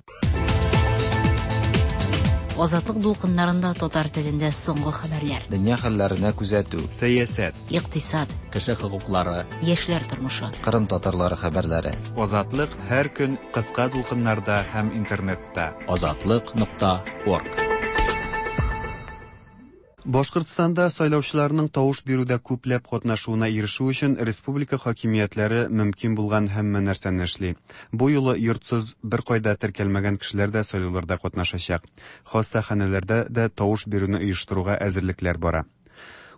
Азатлык дулкыннарында татар телендә соңгы хәбәрләр. Дөнья хәлләренә күзәтү. Сәясәт. Икътисад. Кеше хокуклары. Яшьләр тормышы. Кырым татарлары хәбәрләре. Азатлык һәр көн кыска дулкыннарда һәм интернетта. Азатлык нокта орг. Башкортстанда сайлаучыларның тавыш бирүдә күпләп катнашуына ирешү өчен республика хакимиятләре мөмкин булган һәммә нәрсәне эшли. Бу юлы йортсыз, беркайда теркәлмәгән кешеләр дә сайлауларда катнашачак. Хастаханәләрдә дә тавыш бирүне оештыруга әзерлекләр бара.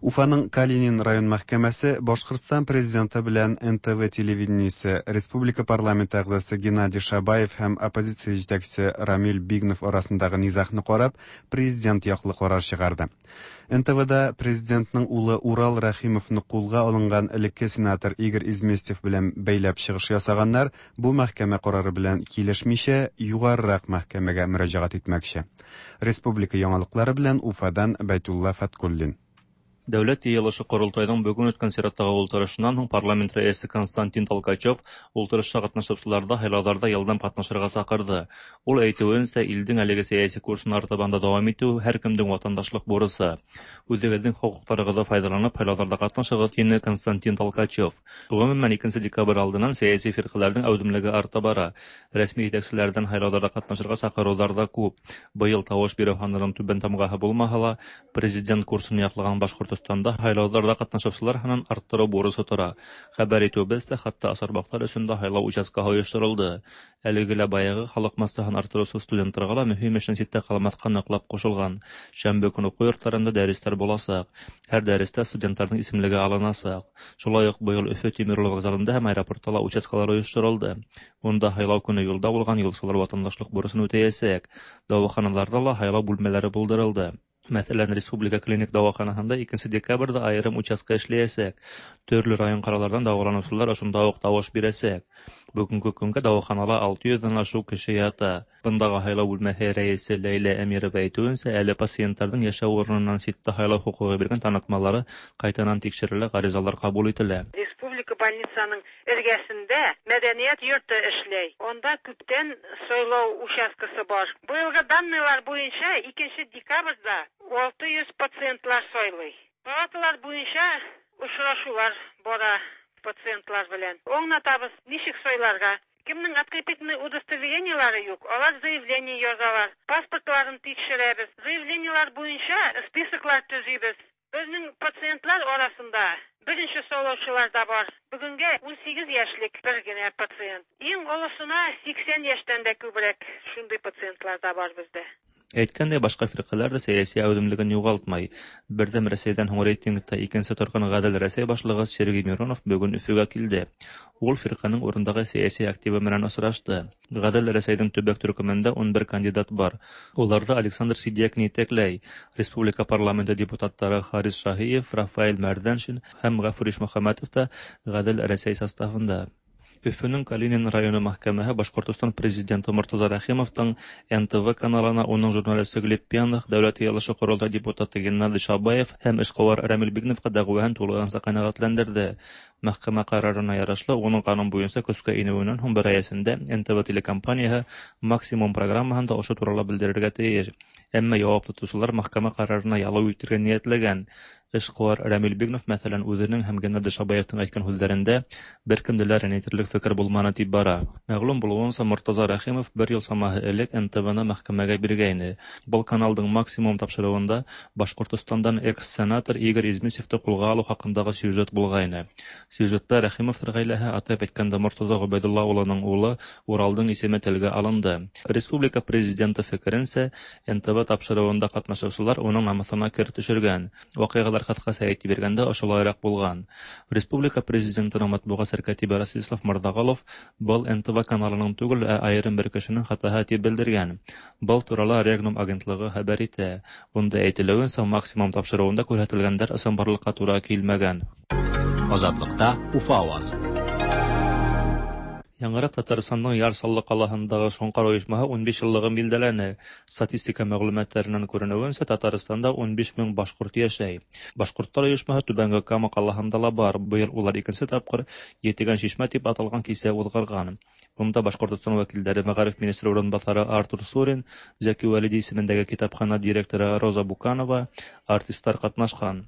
Уфаның Калинин район мәхкәмәсе Башкортстан президенты белән НТВ телевидениесе, республика парламенты әгъзасы Геннадий Шабаев һәм оппозиция җитәкчесе Рамил Бигнов арасындагы низагны карап, президент яклы карар чыгарды. НТВда президентның улы Урал Рәхимовны кулга алынган элекке сенатор Игорь Изместьев белән бәйләп чыгыш ясаганнар бу мәхкәмә карары белән килешмичә, югарырак мәхкәмәгә мөрәҗәгать итмәкче. Республика яңалыклары белән Уфадан Бәйтулла Фәткуллин. Дәүләт йыелышы Корылтайның бүген үткән чираттагы ултырышыннан һуң парламент рәисе Константин Толкачев ултырышта катнашучыларда һайлауларда елдам катнашырга чакырды. Ул әйтүенчә, илдең әлеге сәяси курсын артабан да дәвам итү һәркемнең ватандашлык бурычы. Үзегезнең хокукларыгызны файдаланып һайлауларда катнашыгыз, диде Константин Толкачев. Гомумән, 2 декабрь алдыннан сәяси фиркаләрнең әүдемлеге арта бара. Рәсми җитәкчеләрдән һайлауларда катнашырга чакырулар да күп. Быел тавыш бирү һанының түбән тамгаһы булмаһа ла, президент курсын яклаган Башкортостанда һайлауларда катнашучылар һанын арттыру бурычы тора. Хәбәр итүебезчә, хәтта асарбаклар өчен дә һайлау участкаһы оештырылды. Әлеге лә баягы халык массаһын арттыручы студентларга ла мөһим эшнең читтә калмаска ныклап кушылган. Шәмбе көн уку йортларында дәресләр булачак. Һәр дәрестә студентларның исемлеге алыначак. Шулай ук быел Өфе тимер юлы вокзалында һәм аэропортта ла участкалар оештырылды. Монда һайлау көне юлда булган юлчылар ватандашлык бурычын үтәячәк. Дәваханаларда ла һайлау бүлмәләре булдырылды. Мәсәлән, Республика клиник дәваханаһында 2 декабрьдә аерым участка эшләячәк. Төрле район каралардан дәваланучылар ошонда ук тавыш бирәчәк. Бүгенге көнгә дәваханала 600 дән ашык кеше ята. Бындагы һайлау бүлмәһе рәисе Ләйлә Әмирова әйтүенчә, әле пациентларның яшәү урыныннан читтә һайлау хокукы биргән танытмалары кайтанан тикшерелә, гаризалар кабул ителә. Республика больницаның эргәсендә мәдәният йорты эшләй. Анда күптән сайлау участкасы бар. Быелгы данныйлар буенча 2 декабрьдә 600 пациентлар сайлый. Палаталар буенча очрашулар бара пациентлар белән. Аңлатабыз, ничек сайларга. Кемнең открепительный удостоверениелары юк, алар заявление язалар, паспортларын тикшерәбез. Заявлениелар буенча списоклар төзибез. Безнең пациентлар арасында беренче сайлаучылар да бар. Бүгенгә 18 яшьлек бер генә пациент. Иң олысына 80 яшьтән дә күбрәк шундый пациентлар да бар бездә. Әйткәндәй, башка фиркаләр дә сәяси әүдемлеген югалтмай. Бердәм Рәсәйдән һуң рейтингта икенче торган Гадел Рәсәй башлыгы Сергей Миронов бүген Өфөгә килде. Ул фирканең урындагы сәяси активы белән очрашты. Гадел Рәсәйнең төбәк төркемендә 11 кандидат бар. Уларда Александр Сидякин итәкләй. Республика парламенты депутатлары Харис Шаһиев, Рафаэль Мәрдәншин һәм Гафур Ишмөхәммәтов та Гадел Рәсәй составында. Өфөнең Калинин районы мәхкәмәһе Башкортостан президенты Мортаза Рәхимовтың НТВ каналына уның журналисты Глеб Пьяных, Дәүләт йыелышы Корылтай депутаты Геннадий Шабаев һәм эшкуар Рамил Бигновка дәгъваһын тулыһынча канәгатьләндерде. Мәхкәмә карарына ярашлы, уның канун буенча көскә инүеннән һуң бер ай эчендә НТВ телекомпанияһы максимум программаһында ошо турала белдерергә тиеш. Әмма явап тотучылар мәхкәмә карарына ялау итергә ниятләгән. Эшкуар Рәмил Бигнов, мәсәлән, үзенең һәм Геннадий Шабаевның әйткән һүзләрендә беркемне дә рәнҗетерлек фикер булманы дип бара. Мәгълүм булуынча, Мортаза Рәхимов бер ел чамаһы элек НТВны мәхкәмәгә биргәйне. Был каналдың Максимум тапшыруында Башкортостандан экс-сенатор Игорь Измисевты кулга алу хакындагы сюжет булгайны. Сюжетта Рәхимовлар гаиләһе, атап әйткәндә, Мортаза Гобәйдулла улының улы Уралдың исеме телгә алынды. Республика президенты фикеренчә, НТВ тапшыруында катнашучылар уның намусына кер төшергән. Вакыйгалар кыскача әйтеп биргәндә ошолайрак булган. Республика президентының матбугат сәркәтибе Ростислав Мордагалов был НТВ каналының түгел, ә аерым бер кешенең хатаһы дип белдергән. Был турала Регнум агентлыгы хәбәр итә. Унда әйтелүенчә, Максимум тапшыруында күрһәтелгәннәр ысынбарлыкка тура килмәгән. Азатлыкта Уфа авазы. Яңарак Татарстанның Яр Чаллы калаһындагы Шоңкар оешмаһы 15 еллыгын билдәләне. Статистика мәгълүматларыннан күренүенчә, Татарстанда 15 мең башкорт яшәй. Башкортлар оешмаһы Түбәнге Кама калаһында ла бар. Быел улар икенче тапкыр Етегән чишмә дип аталган кисә узгырган. Унда Башкортостан вәкилләре мәгариф министры урынбасары Артур Сурин, Зәки Вәлиди исемендәге китапхана директоры Роза Буканова, артистлар катнашкан.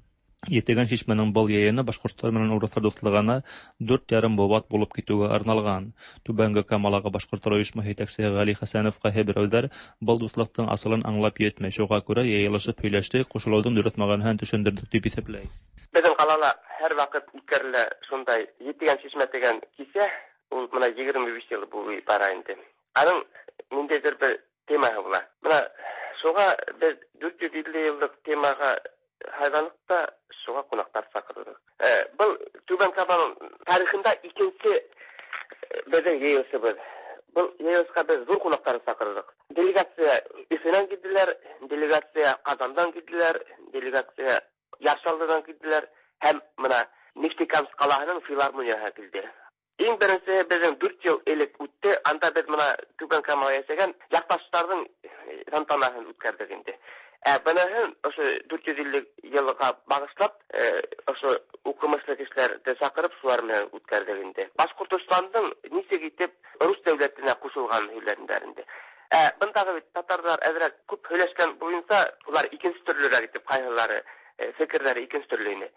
Етегән чишмәнең был йыйыны башкортлар менән урыҫлар дуҫлығына 4,5 быуат булып китеүгә арналған. Түбәнге Камалағы башҡорттар ойошмаһы етәксеһе Ғәли Хәсәнов ҡайһы берәүҙәр был дуҫлыҡтың асылын аңлап етмәй. Шуға күрә йыйылышып һөйләштек, ҡушылыуҙың дөрөҫ мәғәнәһен төшөндөрҙөк тип иҫәпләй. Беҙҙең ҡалала һәр ваҡыт үткәрелә шундай Етегән чишмә тигән кисә, ул бына 25 йыл буйы бара инде. Аның ниндәйҙер бер темаһы була. Бына шуға беҙ 450 йыллыҡ темаға һайланыҡ та шуға ҡунаҡтар саҡырҙыҡ. Был Түбән Каманың тарихында икенсе беҙҙең йыйылышыбыҙ. Был йыйылышҡа беҙ ҙур ҡунаҡтарҙы саҡырҙыҡ. Делегация Өфөнән килделәр, делегация Ҡазандан килделәр, делегация Яр Чаллыдан килделәр һәм бына Нефтекамск ҡалаһының филармонияһы килде. Иң беренсеһе беҙҙең 4 йыл элек үтте. Анда беҙ бына Түбән Камала йәшәгән яҡташтарҙың тантанаһын үткәрҙек инде. Быныһын ошо 450 йылға бағышлап, ошо уҡымышлы кешеләрҙе саҡырып, шулар менән үткәрҙек инде. Башҡортостандың нисек итеп рус дәүләтенә ҡушылғанын һөйләнделәр инде. Бындағы бит татарҙар әҙерәк күп һөйләшкән буйынса, улар икенсе төрлөрәк итеп ҡайһылары фекерҙәре икенсе төрлө ине.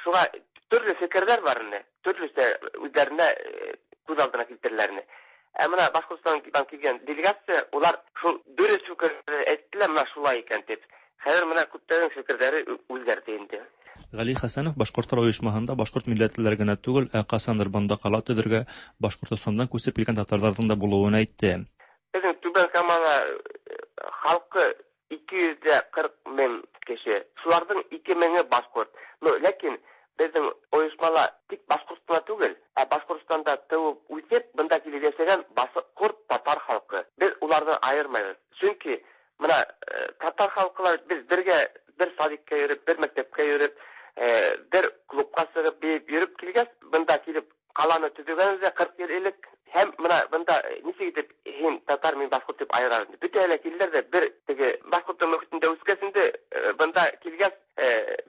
Шуға төрлө фекерҙәр бар ине, төрлөсә үҙҙәренә күҙ алдына килтереләр ине. Бына Башҡортостандан килгән делегация, улар шул дөрөҫ фекерҙе әйттеләр, бына шулай икән тип. Хәҙер бына күптәрҙең фекерҙәре үҙгәрҙе инде. Ғәли Хәсәнов башҡорттар ойошмаһында башҡорт милләтлеләр генә түгел, ә ҡасандыр бында ҡала төҙөргә Башҡортостандан күсеп килгән татарҙарҙың да булыуын әйтте. Беҙҙең Түбән Камала халҡы 240 мең кеше. Шуларҙың 2 меңе башҡорт. Но ләкин беҙҙең ойошмала тик башҡорт ҡына түгел, ә Башҡортостанда тыуып үҫеп, бында килеп йәшәгән башҡорт татар халҡы. Беҙ уларҙы айырмайбыҙ. Сөнки бына татар халҡылар беҙ бергә бер садикка йөрөп, бер мәктәпкә йөрөп, бер клубҡа сығып бейеп йөрөп килгәс, бында килеп ҡаланы төҙөгәнбеҙ 40 йыл элек. Һәм бына бында нисек итеп һин татар, мин башҡорт тип айырабыҙ. Бөтәһе лә килделәр ҙә бер теге башҡорттың мөхитендә үҫкәс инде, бында килгәс,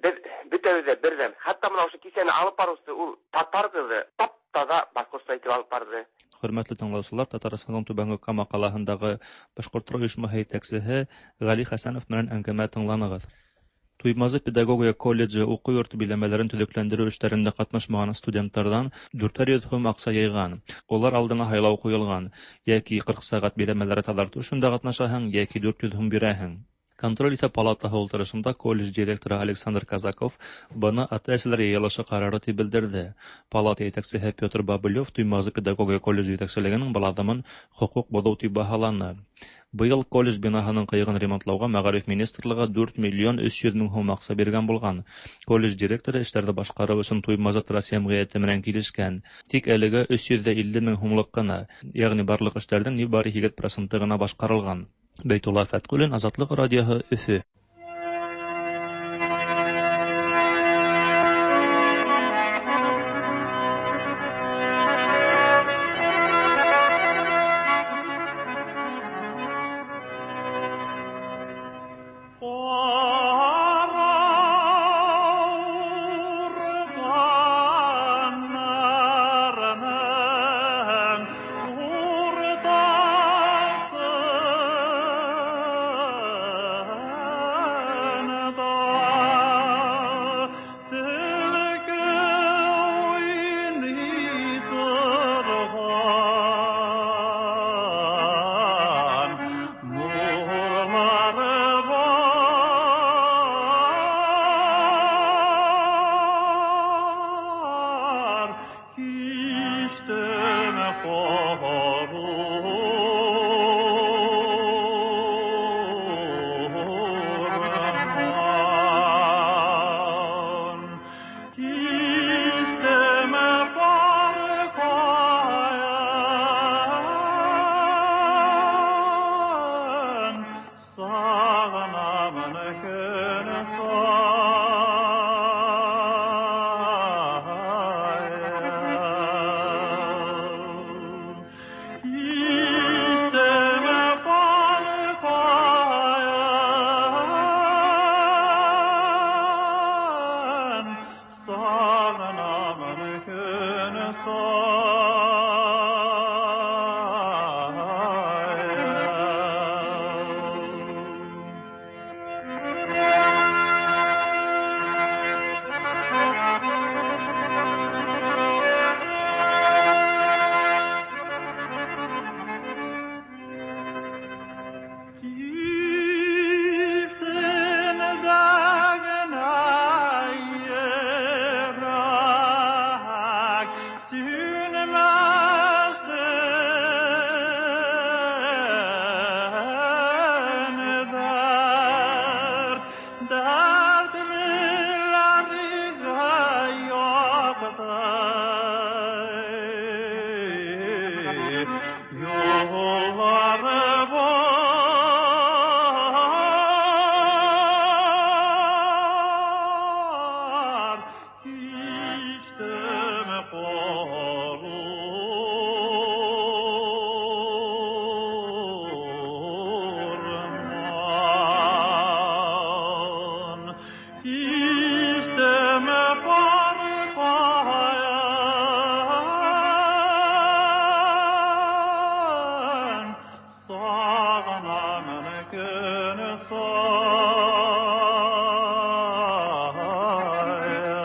беҙ бөтәбеҙ ҙә берҙәм. Хатта бына ошо кисәне алып барыусы ул татар ҡыҙы тап-таҙа башҡортса итеп алып барҙы. Хөрмәтле тыңлаусылар, Татарстандың Түбәнге Кама ҡалаһындағы башҡорттар ойошмаһы етәксеһе Ғәли Хәсәнов менән әңгәмә тыңланығыҙ. Туймазы педагогия колледжы уҡыу йорто биләмәләрен төҙөкләндереү эштәрендә ҡатнашмаған студенттарҙан 400 һум аҡса йыйған. Улар алдына һайлау ҡуйылған: йәки 40 сәғәт биләмәләре таҙартыу эшендә ҡатнашаһың, йәки 400 һум бирәһең. Контроль итә палатаһы ултырышында колледж директоры Александр Казаков быны ата-әсәләр йыйылышы ҡарары тип белдерҙе. Палата етәксеһе Петр Бабылев Туймазы педагогия колледжы етәкселегенең был аҙымын хоҡуҡ боҙоу тип баһаланы. Быйыл колледж бинаһының ҡыйығын ремонтлауға мәғариф министрлығы 4 миллион 300 мең һум аҡса биргән булған. Колледж директоры эштәрҙе башҡарыу өсөн Туймазы трасс йәмғиәте менән килешкән. Тик әлегә 350 мең һумлыҡ ҡына, йәғни барлыҡ эштәрҙең ни бары 8% ғына башҡарылған. Бәйтулла Фәтҡуллин, Азатлыҡ радиоһы, Өфө. Dertlilerine yaktı. Yolları var, içtim korurman. İçtim korkayan, sağanan gün sayan. İsteme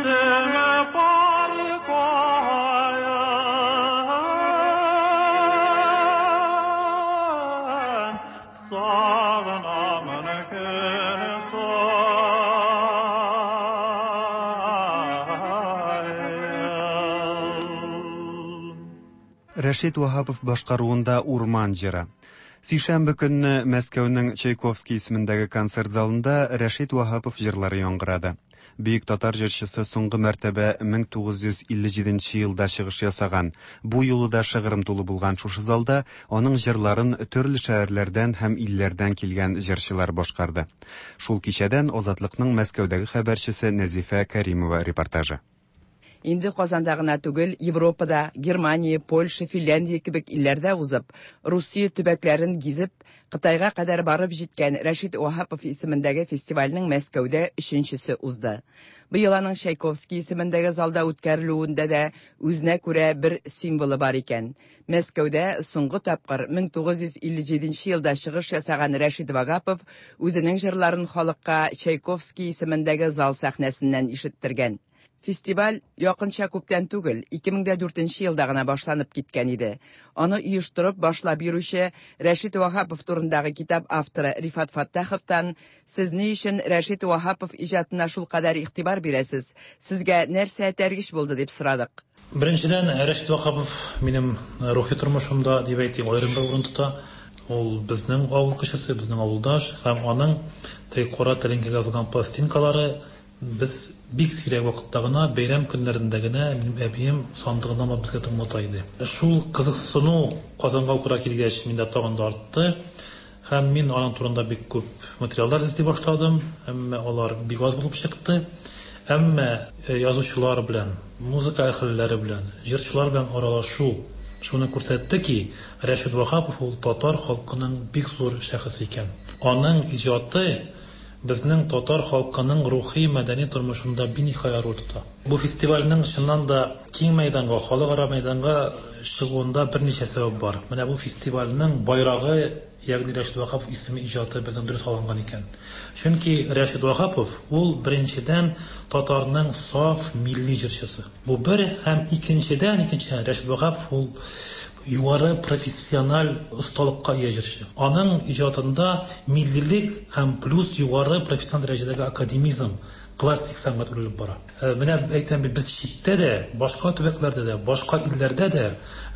korkayan, sağanan gün sayan. Рәшит Ваһапов башкаруында Урман җыры. Сишәмбе көнне Мәскәүнең Чайковский исемендәге концерт залында Рәшит Ваһапов җырлары яңгырады. Бөек татар җырчысы соңгы мәртәбә 1957 елда чыгыш ясаган. Бу юлы да шыгрым тулы булган шушы залда аның җырларын төрле шәһәрләрдән һәм илләрдән килгән җырчылар башкарды. Шул кичәдән Азатлыкның Мәскәүдәге хәбәрчесе Нәзифә Кәримова репортажы. Инде Казанда гына түгел, Европада, Германия, Польша, Финляндия кебек илләрдә узып, Русия төбәкләрен гизеп, Кытайга кадәр барып җиткән Рәшит Ваһапов исемендәге фестивальнең Мәскәүдә өченчесе узды. Быел аның Чайковский исемендәге залда үткәрелүендә дә үзенә күрә бер символы бар икән. Мәскәүдә соңгы тапкыр 1957 елда чыгыш ясаган Рәшит Вагапов үзенең җырларын халыкка Чайковский исемендәге зал сәхнәсеннән ишеттергән. Фестиваль якынча күптән түгел, 2004 елда гына башланып киткән иде. Аны оештырып башлап йөрүче Рәшит Ваһапов турындагы китап авторы Рифат Фаттаховтан «Сез ни өчен Рәшит Ваһапов иҗатына шулкадәр игътибар бирәсез? Сезгә нәрсә этәргеч булды?» дип сорадык. Беренчедән, Рәшит Ваһапов минем рухи тормышымда, дип әйтик, аерым бер урын тота. Ул безнең авыл кешесе, безнең авылдаш һәм аның теге кара тәлинкәгә язылган пластинкалары без бик сирәк вакытта гына, бәйрәм көннәрендә генә минем әбием сандыгыннан алып безгә тыңлата иде. Шул кызыксыну Казанга укырга килгәч миндә тагын да артты. Һәм мин аның турында бик күп материаллар эзли башладым, әмма алар бик аз булып чыкты. Әмма язучылар белән, музыка әһелләре белән, җырчылар белән аралашу шуны күрсәтте ки, Рәшит Ваһапов ул татар халкының бик зур шәхесе икән. Аның иҗаты безнең татар халкының рухи мәдәни тормышында биниһая роль тота. Бу фестивальнең чыннан да киң мәйданга, халыкара мәйданга чыгуында берничә сәбәп бар. Менә бу фестивальнең байрагы, ягъни Рәшит Ваһапов исеме иҗаты безнең дөрес алынган икән. Чөнки Рәшит Ваһапов ул беренчедән татарның саф милли җырчысы. Бу бер һәм икенчедән, икенчедән Рәшит Ваһапов ул югары профессиональ осталыкка ия җырчы. Аның иҗатында миллилек һәм плюс югары профессиональ дәрәҗәдәге академизм, классик сәнгать үрелеп бара. Менә әйтәм бит, без читтә дә, башка төбәкләрдә дә, башка илләрдә дә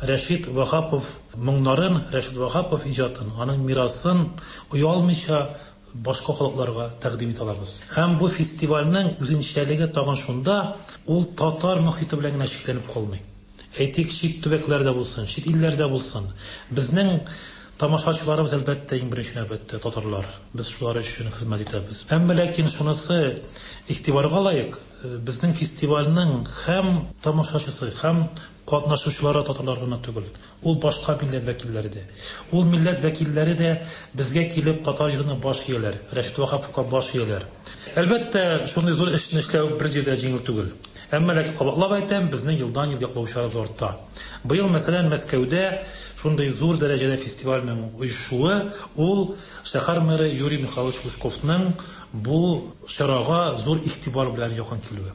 Рәшит Ваһапов моңнарын, Рәшит Ваһапов иҗатын, аның мирасын оялмыйча башка халыкларга тәкъдим итә алабыз. Һәм бу фестивальнең үзенчәлеге тагын шунда, ул татар мохите белән генә чикләнеп калмый. Әйтик, чит төбәкләрдә булсын, чит илләрдә булсын. Безнең тамашачыларыбыз әлбәттә иң беренче нәүбәттә татарлар. Без шулар өчен хезмәт итәбез. Әмма ләкин шунысы игътибарга лаек, безнең фестивальнең һәм тамашачысы, һәм катнашучылары татарлар гына түгел. Ул башка милләт вәкилләре дә. Ул милләт вәкилләре дә безгә килеп татар җырына баш ияләр, Рәшит Ваһаповка баш ияләр. Әлбәттә, шундый зур эшне эшләү бер җирдә җиңел түгел. Әмма ләкин кабатлап әйтәм, безнең елдан-ел яклаучыларыбыз арта. Быел, мәсәлән, Мәскәүдә шундый зур дәрәҗәдә фестивальнең оешуы, ул шәһәр мэры Юрий Михайлович Лужковның бу чарага зур игътибар белән якын килүе.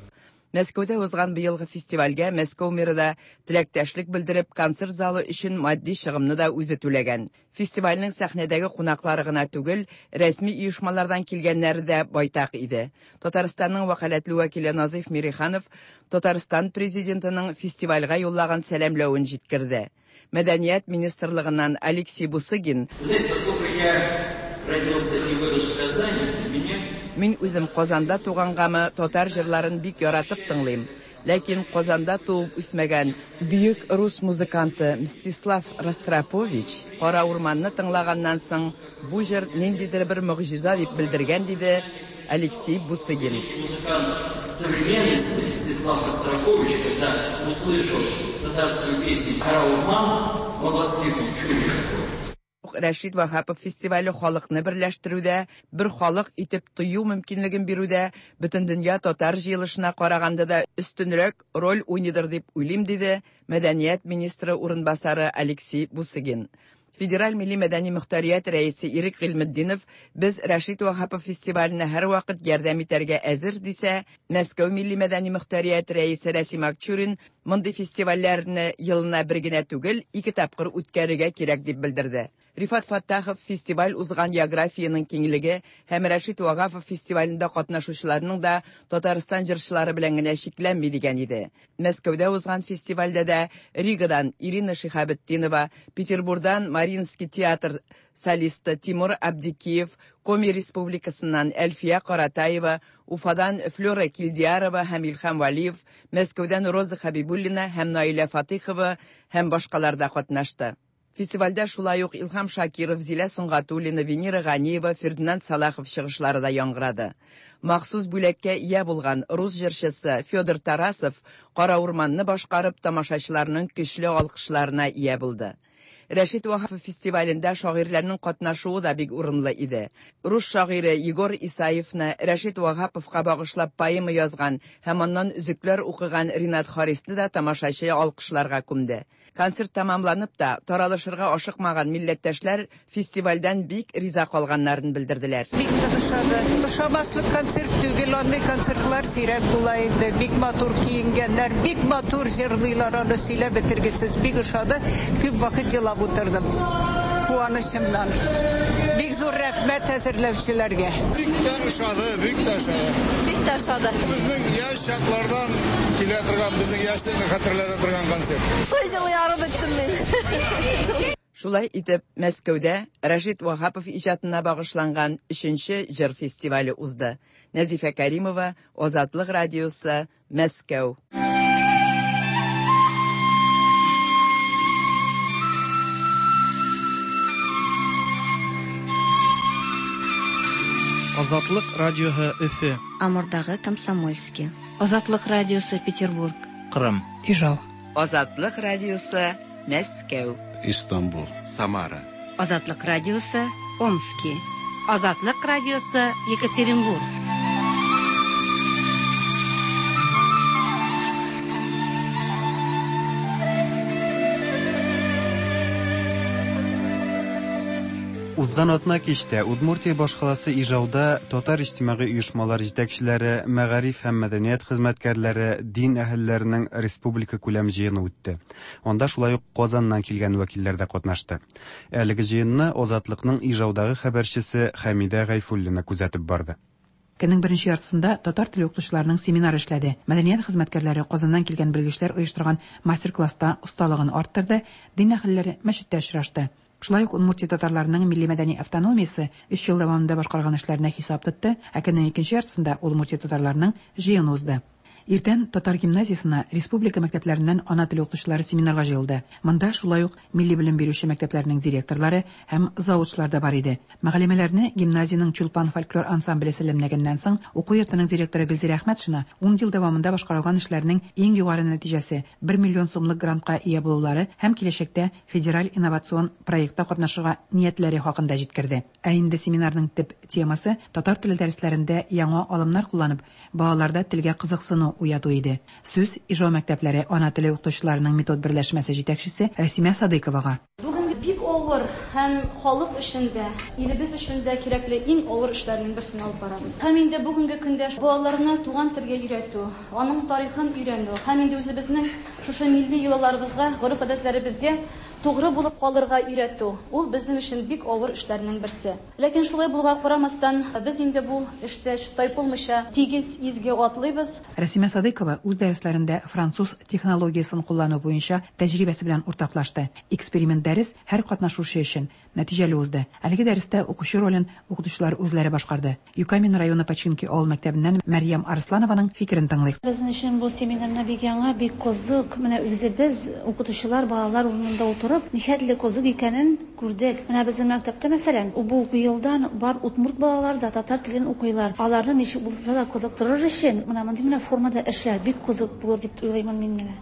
Мәскәүдә узган быелгы фестивальгә Мәскәү мэры да теләктәшлек белдереп, концерт залы өчен матди чыгымны да үзе түләгән. Фестивальнең сәхнәдәге кунаклары гына түгел, рәсми оешмалардан килгәннәре дә байтак иде. Татарстанның вәкаләтле вәкиле Назыйф Мириханов Татарстан президентының фестивальгә юллаган сәламләвен җиткерде. Мәдәният министрлыгыннан Алексей Бусыгин. Знаете, поскольку я родился и вырос в Казани, для меня Мин үзем Казанда тугангамы, татар җырларын бик яратып тыңлыйм. Ләкин Казанда туып үсмәгән бөек рус музыканты Мстислав Ростропович Кара урманны тыңлаганнан соң, бу җыр ниндидер бер могҗиза дип белдергән, диде Алексей Бусыгин. Музыкант современности Мстислав Ростропович, когда услышал татарскую песню «Кара урман», он воскликнул: «Чудо какое!» Рәшит Ваһапов фестивале халыкны берләштерүдә, бер халык итеп тою мөмкинлеген бирүдә Бөтендөнья татар җыелышына караганда да өстенрәк роль уйныйдыр дип уйлыйм, диде мәдәният министры урынбасары Алексей Бусыгин. Федераль милли-мәдәни мохтарият рәисе Ирек Гыйльметдинов без Рәшит Ваһапов фестиваленә һәрвакыт ярдәм итәргә әзер дисә, Мәскәү милли-мәдәни мохтарият рәисе Рәсим Акчурин мондый фестивальләрне елына бер генә түгел, ике тапкыр үткәрергә кирәк дип белдерде. Рифат Фәттахов фестиваль узган географиянең киңлеге һәм Рәшит Ваһапов фестивалендә катнашучыларның да Татарстан җырчылары белән генә чикләнми дигән иде. Мәскәүдә узган фестивальдә дә Ригадан Ирина Шиһабетдинова, Петербурдан Мариинский театр солисты Тимур Абдикиев, Коми Республикасыннан Әлфия Каратаева, Уфадан Флера Килдиярова һәм Илһам Вәлиев, Мәскәүдән Роза Хәбибуллина һәм Наилә Фатыйхова һәм башкалар да катнашты. Фестивальдә шулай ук Илһам Шакиров, Зилә Сөнгатуллина, Венера Ганиева, Фердинанд Салахов чыгышлары да яңгырады. Махсус бүләккә ия булган рус җырчысы Федор Тарасов Кара урманны башкарып, тамашачыларның көчле алкышларына ия булды. Рәшит Ваһапов фестивалендә шагыйрьләрнең катнашуы да бик урынлы иде. Рус шагыйре Егор Исаевны Рәшит Ваһаповка багышлап поэма язган һәм аннан өзекләр укыган Ринат Харисны да тамашачы алкышларга күмде. Концерт тәмамланып та, таралышырга ашыкмаган милләттәшләр фестивальдән бик риза калганнарын белдерделәр. Бик нык ошады. Ошамаслык концерт түгел, андый концертлар сирәк була инде. Бик матур киенгәннәр, бик матур җырлыйлар, аны сөйләп бетергесез. Бик ошады. Күп вакыт елап утырдым. Куанычымнан. Бик зур рәхмәт әзерләүчеләргә. Бик тә ошады, бик тә ошады. Бик тә ошады. Безнең яшь чаклардан килә торган, безнең яшьлекне хәтерләтә торган концерт. Шулай җылый арып беттем мин. Шулай итеп, Мәскәүдә Рәшит Ваһапов иҗатына багышланган өченче җыр фестивале узды. Нәзифә Кәримова, Азатлык радиосы, Мәскәү. Азатлык радиоһы Өфе. Амурдагы Комсомольски. Азатлык радиосы Петербург. Кырым. Ижау. Азатлык радиосы Мәскәү. Истанбул. Самара. Азатлык радиосы Омски. Азатлык радиосы Екатеринбург. Узган атна кичтә Удмуртия башкаласы Ижауда татар иҗтимагый оешмалар җитәкчеләре, мәгариф һәм мәдәният хезмәткәрләре, дин әһелләренең республика күләм җыены үтте. Анда шулай ук Казаннан килгән вәкилләр дә катнашты. Әлеге җыенны Азатлыкның Ижаудагы хәбәрчесе Хәмидә Гайфуллина күзәтеп барды. Көннең беренче яртысында татар теле укытучыларының семинары эшләде. Мәдәният хезмәткәрләре Казаннан килгән белгечләр оештырган мастер-класста осталыгын арттырды, дин әһелләре мәчеттә очрашты. Шулай ук Удмуртия татарларының милли-мәдәни автономиясе өч ел дәвамында башкарган эшләренә хисап тотты, ә көннең икенче яртысында Удмуртия татарларының җыены узды. Иртән татар гимназиясенә республика мәктәпләреннән ана теле укытучылары семинарга җыелды. Монда шулай ук милли белем бирүче мәктәпләрнең директорлары һәм завучлар да бар иде. Мөгаллимәләрне гимназиянең Чулпан фольклор ансамбле сәламләгәннән соң, уку йортының директоры Гөлзирә Әхмәтшина ун ел дәвамында башкарылган эшләрнең иң югары нәтиҗәсе, бер миллион сумлык грантка ия булулары һәм киләчәктә федераль инновацион проектта катнашырга ниятләре хакында җиткерде. Ә инде семинарның төп темасы татар теле дәресләрендә яңа алымнар кулланып, балаларда телгә кызыксыну уяту иде. Сүз Ижау мәктәпләре ана теле укытучыларының метод берләшмәсе җитәкчесе Рәсимә Садыйковага. Бүгенге бик авыр һәм халык өчен дә, илебез өчен дә кирәкле иң авыр эшләрнең берсен алып барабыз. Һәм инде бүгенге көндә балаларны туган телгә өйрәтү, аның тарихын өйрәнү һәм инде үзебезнең шушы милли йолаларыбызга, гореф-гадәтләребезгә тугры булып калырга өйрәтү, ул безнең өчен бик авыр эшләрнең берсе. Ләкин шулай булуга карамастан, без инде бу эштә тайпылмыйча тигез, изге атлыйбыз. Рәсимә Садыйкова үз дәресләрендә француз технологиясен куллану буенча тәҗрибәсе белән уртаклашты. Эксперимент дәрес һәр катнашучы өчен нәтиҗәле узды. Әлеге дәрестә укучы ролен укытучылар үзләре башкарды. Юкамин районы Починки авыл мәктәбеннән Мәрьям Арсланованың фикерен тыңлыйк. Безнең өчен бу семинарны бик яңа, бик кызык. Менә үзебез, укытучылар, балалар урынында утырып, нихәтле кызык икәнен күрдек. Менә безнең мәктәптә, мәсәлән, бу уку елдан бар удмурт балалары да татар телен укыйлар. Аларны ничек булса да кызыктырыр өчен, менә мондый менә формада эшләр бик кызык булыр дип уйлыймын мин менә.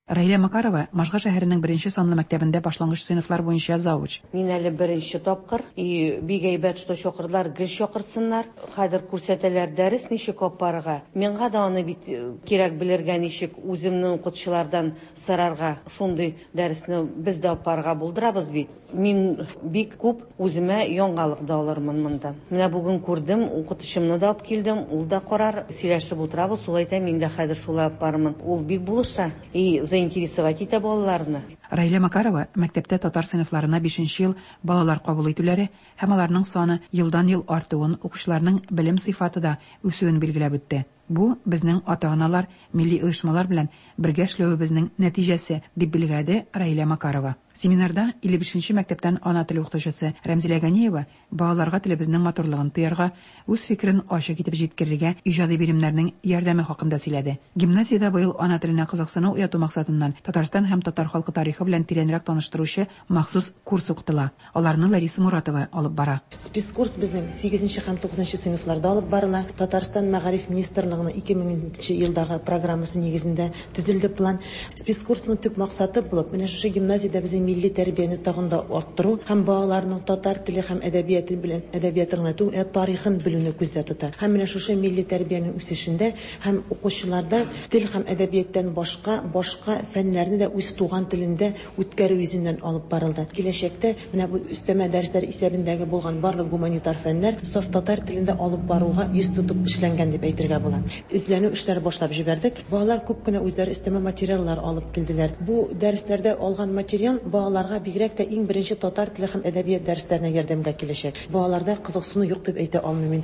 Раилә Макарова Можга шәһәренең беренче санлы мәктәбендә башлангыч сыйныфлар буенча завуч. Мин әле беренче тапкыр. И бик әйбәт, что чакырдылар, гел чакырсыннар. Хәзер күрсәтәләр дәрес ничек алып барырга. Миңа да аны бит кирәк белергә, ничек үземнең укытучылардан сорарга. Шундый дәресне без дә алып барырга булдырабыз бит. Мин бик күп үземә яңалык да алырмын монда. Менә бүген күрдем, укытучымны да алып килдем, ул да карар, сөйләшеп утырабыз, ул әйтә, мин дә хәзер шулай алып барырмын. Ул бик булыша. И заинтересовать итә балаларны. Раилә Макарова мәктәптә татар сыйныфларына 5 ел балалар кабул итүләре һәм аларның саны елдан-ел артуын, укучыларның белем сыйфаты да үсүен билгеләп үтте. Бу безнең ата-аналар, милли оешмалар белән бергә эшләвебезнең нәтиҗәсе, дип билгеләде Раилә Макарова. Семинарда 55 мәктәптән ана теле укытучысы Рәмзилә Ганиева балаларга телебезнең матурлыгын тоярга, үз фикерен ачык итеп җиткерергә иҗади биремнәрнең ярдәме хакында сөйләде. Гимназиядә быел ана теленә кызыксыну уяту максатыннан Татарстан һәм татар халкы тарихы белән тирәнрәк таныштыручы махсус курс укытыла. Аларны Лариса Муратова алып бара. Спецкурс безнең 8 һәм 9 сыйныфларда алып барыла. Татарстан мәгариф министрлыгының 2000 елдагы программасы нигезендә төзелде план. Спецкурсның төп максаты булып, менә шушы гимназиядә безнең милли тәрбияне тагын да арттыру һәм балаларның татар теле һәм әдәбияты белән әдәбиятын гына түгел, ә тарихын белүне күздә тота. Һәм менә шушы милли тәрбиянең үсешендә һәм укучыларда тел һәм әдәбияттан башка башка фәннәрне дә үз туган телендә үткәрү йөзеннән алып барылды. Киләчәктә менә бу өстәмә дәресләр исәбендәге булган барлык гуманитар фәннәр саф татар телендә алып баруга йөз тотып эшләнгән дип әйтергә була. Эзләнү эшләре башлап җибәрдек. Балалар күп кенә үзләре өстәмә материаллар алып килделәр. Бу дәресләрдә алган материал балаларга бигрәк тә иң беренче татар теле һәм әдәбият дәресләренә ярдәмгә киләчәк. Балаларда кызыксыну юк дип әйтә алмыйм мин.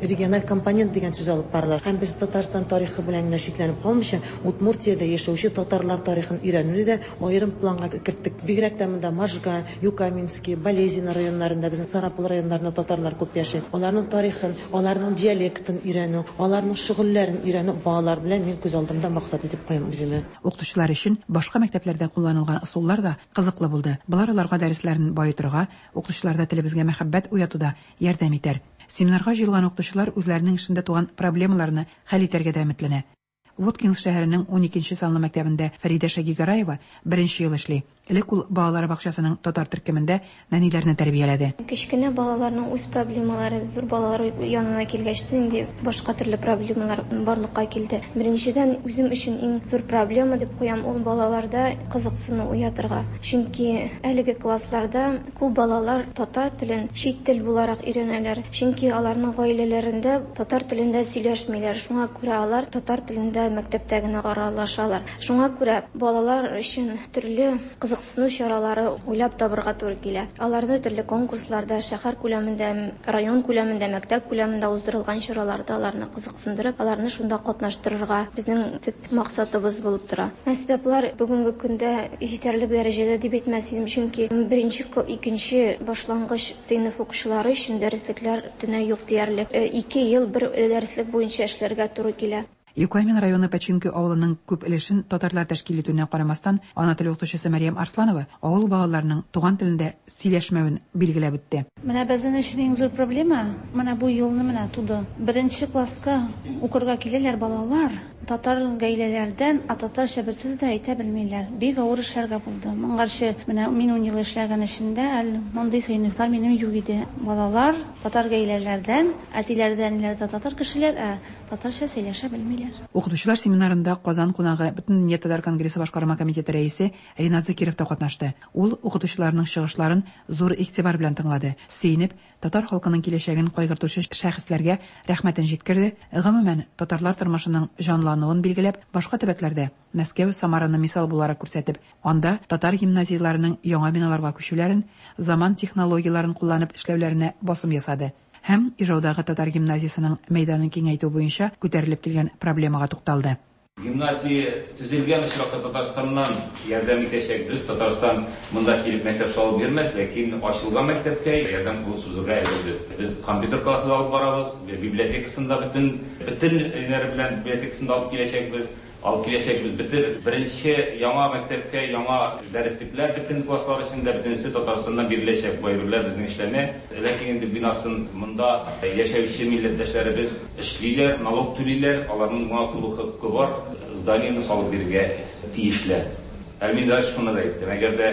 Региональ компонент дигән сүз алып барыла. Һәм без Татарстан тарихы белән генә чикләнеп калмыйча, Удмуртиядә яшәүче татарлар тарихын өйрәнүне дә аерым планга керттек. Бигрәк тә монда Можга, Юкаменский, Балезино районнарында, безнең Сарапул районнарында татарлар күп яши. Аларның тарихын, аларның диалектын өйрәнү, аларның шөгыльләрен өйрәнү балалар белән мин күз алдымда максат итеп куям үземә. Укытучылар өчен башка мәктәпләрдә кулланылган ысуллар да кызыклы булды. Болар аларга дәресләрен баетырга, укытучыларда телебезгә мәхәббәт уятуда ярдәм итәр. Семинарга җыелган укытучылар үзләренең эшендә туган проблемаларны хәл итәргә дә өметләнә. Воткинск шәһәренең 12 санлы мәктәбендә Фәридә Шагигараева беренче ел эшли. Элек ул балалар бакчасының татар төркемендә нәниләрне тәрбияләде. Кечкенә балаларның үз проблемалары, зур балалар янына килгәч тә инде башка төрле проблемалар барлыкка килде. Беренчедән, үзем өчен иң зур проблема дип куям, ул балаларда кызыксыну уятырга. Чөнки әлеге классларда күп балалар татар телен чит тел буларак өйрәнәләр. Чөнки аларның гаиләләрендә татар телендә сөйләшмиләр. Шуңа күрә алар татар телендә мәктәптә генә аралашалар. Шуңа күрә балалар өчен төрле кызыксыну чаралары уйлап табырга туры килә. Аларны төрле конкурсларда, шәһәр күләмендә, район күләмендә, мәктәп күләмендә уздырылган чараларда аларны кызыксындырып, аларны шунда катнаштырырга безнең төп максатыбыз булып тора. Әсбаплар бүгенге көндә җитәрлек дәрәҗәдә дип әйтмәс идем, чөнки беренче, икенче башлангыч сыйныф укучылары өчен дәреслекләр төнә юк диярлек. 2 ел бер дәреслек буенча эшләргә туры килә. Юкаймин районы Починки авылының күп өлешен татарлар тәшкил итүенә карамастан, ана теле укытучысы Мәрьям Арсланова авыл балаларының туган телендә сөйләшмәвен билгеләп үтте. Менә безнең өчен иң зур проблема, менә бу елны менә туды. Беренче класска укырга киләләр балалар, татар гаиләләрдән, а татарча бер сүз дә әйтә белмиләр. Бик авыр эшләргә булды. Моңарчы менә мин 10 ел эшләгән эшендә әле мондый сыйныфлар минем юк иде. Балалар татар гаиләләрдән, әтиләрдән, әниләр дә татар кешеләр, ә татарча сөйләшә белмиләр. Укытучылар семинарында Казан кунагы Бөтендөнья татар конгрессы башкарма комитеты рәисе Ринат Закиров та катнашты. Ул укытучыларның чыгышларын зур игътибар белән тыңлады. Сөенеп, татар халкының киләчәген кайгыртучы шәхесләргә рәхмәтен җиткерде, гомумән, татарлар тормышының җанлануын билгеләп, башка төбәкләрдә, Мәскәү, Самараны мисал буларак күрсәтеп, анда татар гимназияләренең яңа биналарга күчүләрен, заман технологияләрен кулланып эшләүләренә басым ясады һәм Ижаудагы татар гимназиясенең мәйданын киңәйтү буенча күтәрелеп килгән проблемага тукталды. Гимназия төзелгән очракта Татарстаннан ярдәм итәчәкбез. Татарстан монда килеп мәктәп салып бирмәс, ләкин ачылган мәктәпкә ярдәм кулын сузырга әзербез. Без компьютер классы да алып барабыз, библиотекасын да бөтен бөтен ниләре белән библиотекасын да алып киләчәкбез. Алып киләчәкбез. Без беренче яңа мәктәпкә яңа дәреслекләр бөтен класслар өчен дә бөтенесе Татарстаннан биреләчәк. Бу әйберләр безнең эшләнә. Ләкин инде бинасын монда яшәүче милләттәшләребез эшлиләр, налог түлиләр, аларның моңа тулы хокукы бар, зданиене салып бирергә тиешләр. Әле мин даже шуны да әйттем, әгәр дә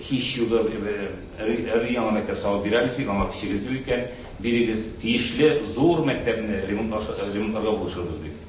һич югы өр-яңа мәктәп салып бирәбез дип, аңа көчегез юк икән, бирегез, тиешле зур мәктәпне ремонтларга булышырбыз дип.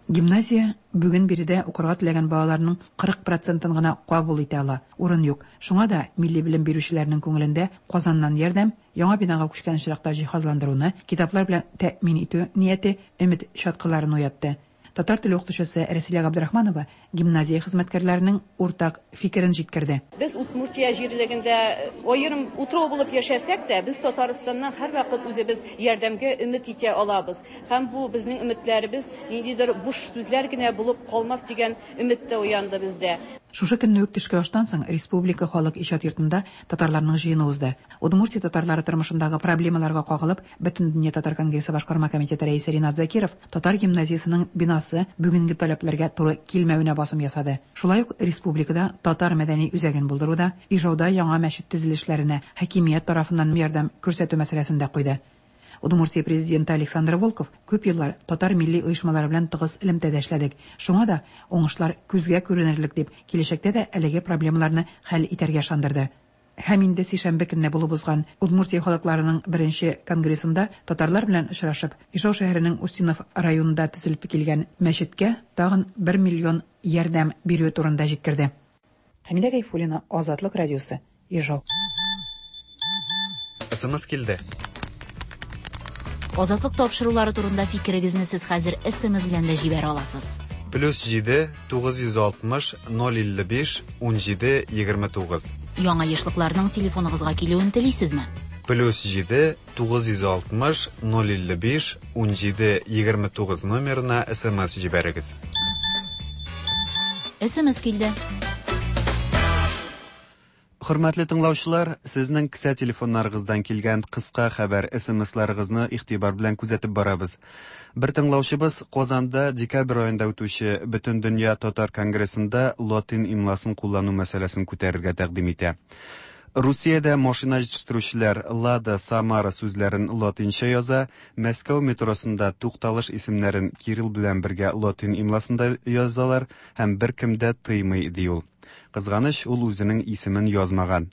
Гимназия бүген биредә укырга теләгән балаларның 40 процентын гына кабул итә ала, урын юк. Шуңа да милли белем бирүчеләрнең күңелендә Казаннан ярдәм, яңа бинага күчкән очракта җиһазландыруны, китаплар белән тәэмин итү нияте өмет чаткыларын уятты. Татар теле укытучысы Рәсилә Габдрахманова гимназия хезмәткәрләренең уртак фикерен җиткерде. Без Удмуртия җирлегендә аерым утрау булып яшәсәк тә, без Татарстаннан һәрвакыт үзебез ярдәмгә өмет итә алабыз. Һәм бу безнең өметләребез ниндидер буш сүзләр генә булып калмас дигән өмет тә уянды бездә. Шушы көнне үк төшке аштан соң Республика халык иҗат йортында татарларның җыены узды. Удмуртия татарлары тормышындагы проблемаларга кагылып, Бөтендөнья татар конгрессы башкарма комитеты рәисе Ринат Закиров татар гимназиясенең бинасы бүгенге таләпләргә туры килмәвенә басым ясады. Шулай ук республикада татар мәдәни үзәген булдыруда, Ижауда яңа мәчет төзелешләренә хакимият тарафыннан ярдәм күрсәтү мәсьәләсен дә куйды. Удмуртия президенты Александр Волков, Күп еллар татар милли оешмалары белән тыгыз элемтәдә эшләдек. Шуңа да уңышлар күзгә күренерлек, дип, киләчәктә дә әлеге проблемаларны хәл итәргә ышандырды. Һәм инде сишәмбе көнне булып узган Удмуртия халыкларының беренче конгрессында татарлар белән очрашып, Ижау шәһәренең Устинов районында төзелеп килгән мәчеткә тагын бер миллион ярдәм бирүе турында җиткерде. Хәмидә Гайфуллина, Азатлык радиосы, Ижау. СМС килде. Азатлык тапшырулары турында фикерегезне сез хәзер СМС белән дә җибәрә аласыз. Плюс 7 960 055 17 29. Яңа ешлыкларның телефоныгызга килүен телисезме? Плюс 7 960 055 17 29 номерына СМС җибәрегез. СМС килде. Хөрмәтле тыңлаучылар, сезнең кесә телефоннарыгыздан килгән кыска хәбәр СМСларыгызны игътибар белән күзәтеп барабыз. Бер тыңлаучыбыз Казанда декабрь аенда үтүче Бөтендөнья татар конгрессында латин имласын куллану мәсьәләсен күтәрергә тәкъдим итә. Русиядә машина җитештерүчеләр Лада, Самара сүзләрен латинча яза, Мәскәү метросында тукталыш исемнәрен кирилл белән бергә латин имласында язалар һәм беркем дә тыймый, ди ул. Кызганыч, ул үзенең исемен язмаган.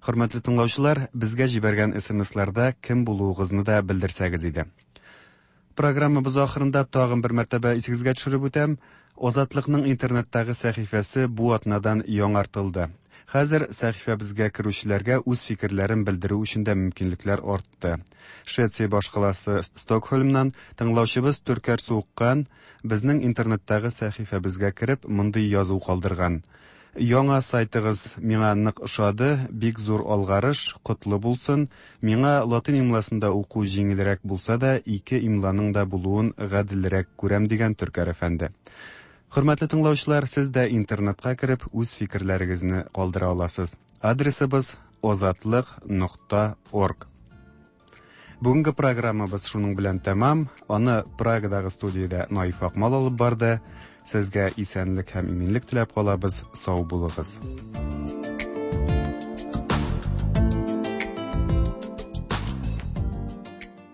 Хөрмәтле тыңлаучылар, безгә җибәргән СМСларда кем булуыгызны да белдерсәгез иде. Программабыз ахырында тагын бер мәртәбә исегезгә төшереп үтәм, Азатлыкның интернеттагы сәхифәсе бу атнадан яңартылды. Хәзер сәхифәбезгә керүчеләргә үз фикерләрен белдерү өчен дә мөмкинлекләр артты. Швеция башкаласы Стокһольмнан тыңлаучыбыз Төркәр Суыккан безнең интернеттагы сәхифәбезгә кереп мондый язу калдырган. Яңа сайтыгыз миңа нык ошады, бик зур алгарыш, котлы булсын. Миңа латин имласында уку җиңелрәк булса да, ике имланың да булуын гаделрәк күрәм, дигән Төркәр әфәнде. Хөрмәтле тыңлаучылар, сез дә интернетка кереп, үз фикерләрегезне калдыра аласыз. Адресыбыз озатлык нокта орг. Бүгенге программабыз шуның белән тәмам. Аны Прагадагы студиядә Наиф Акмал алып барды. Сезгә исәнлек һәм иминлек теләп калабыз. Сау булыгыз.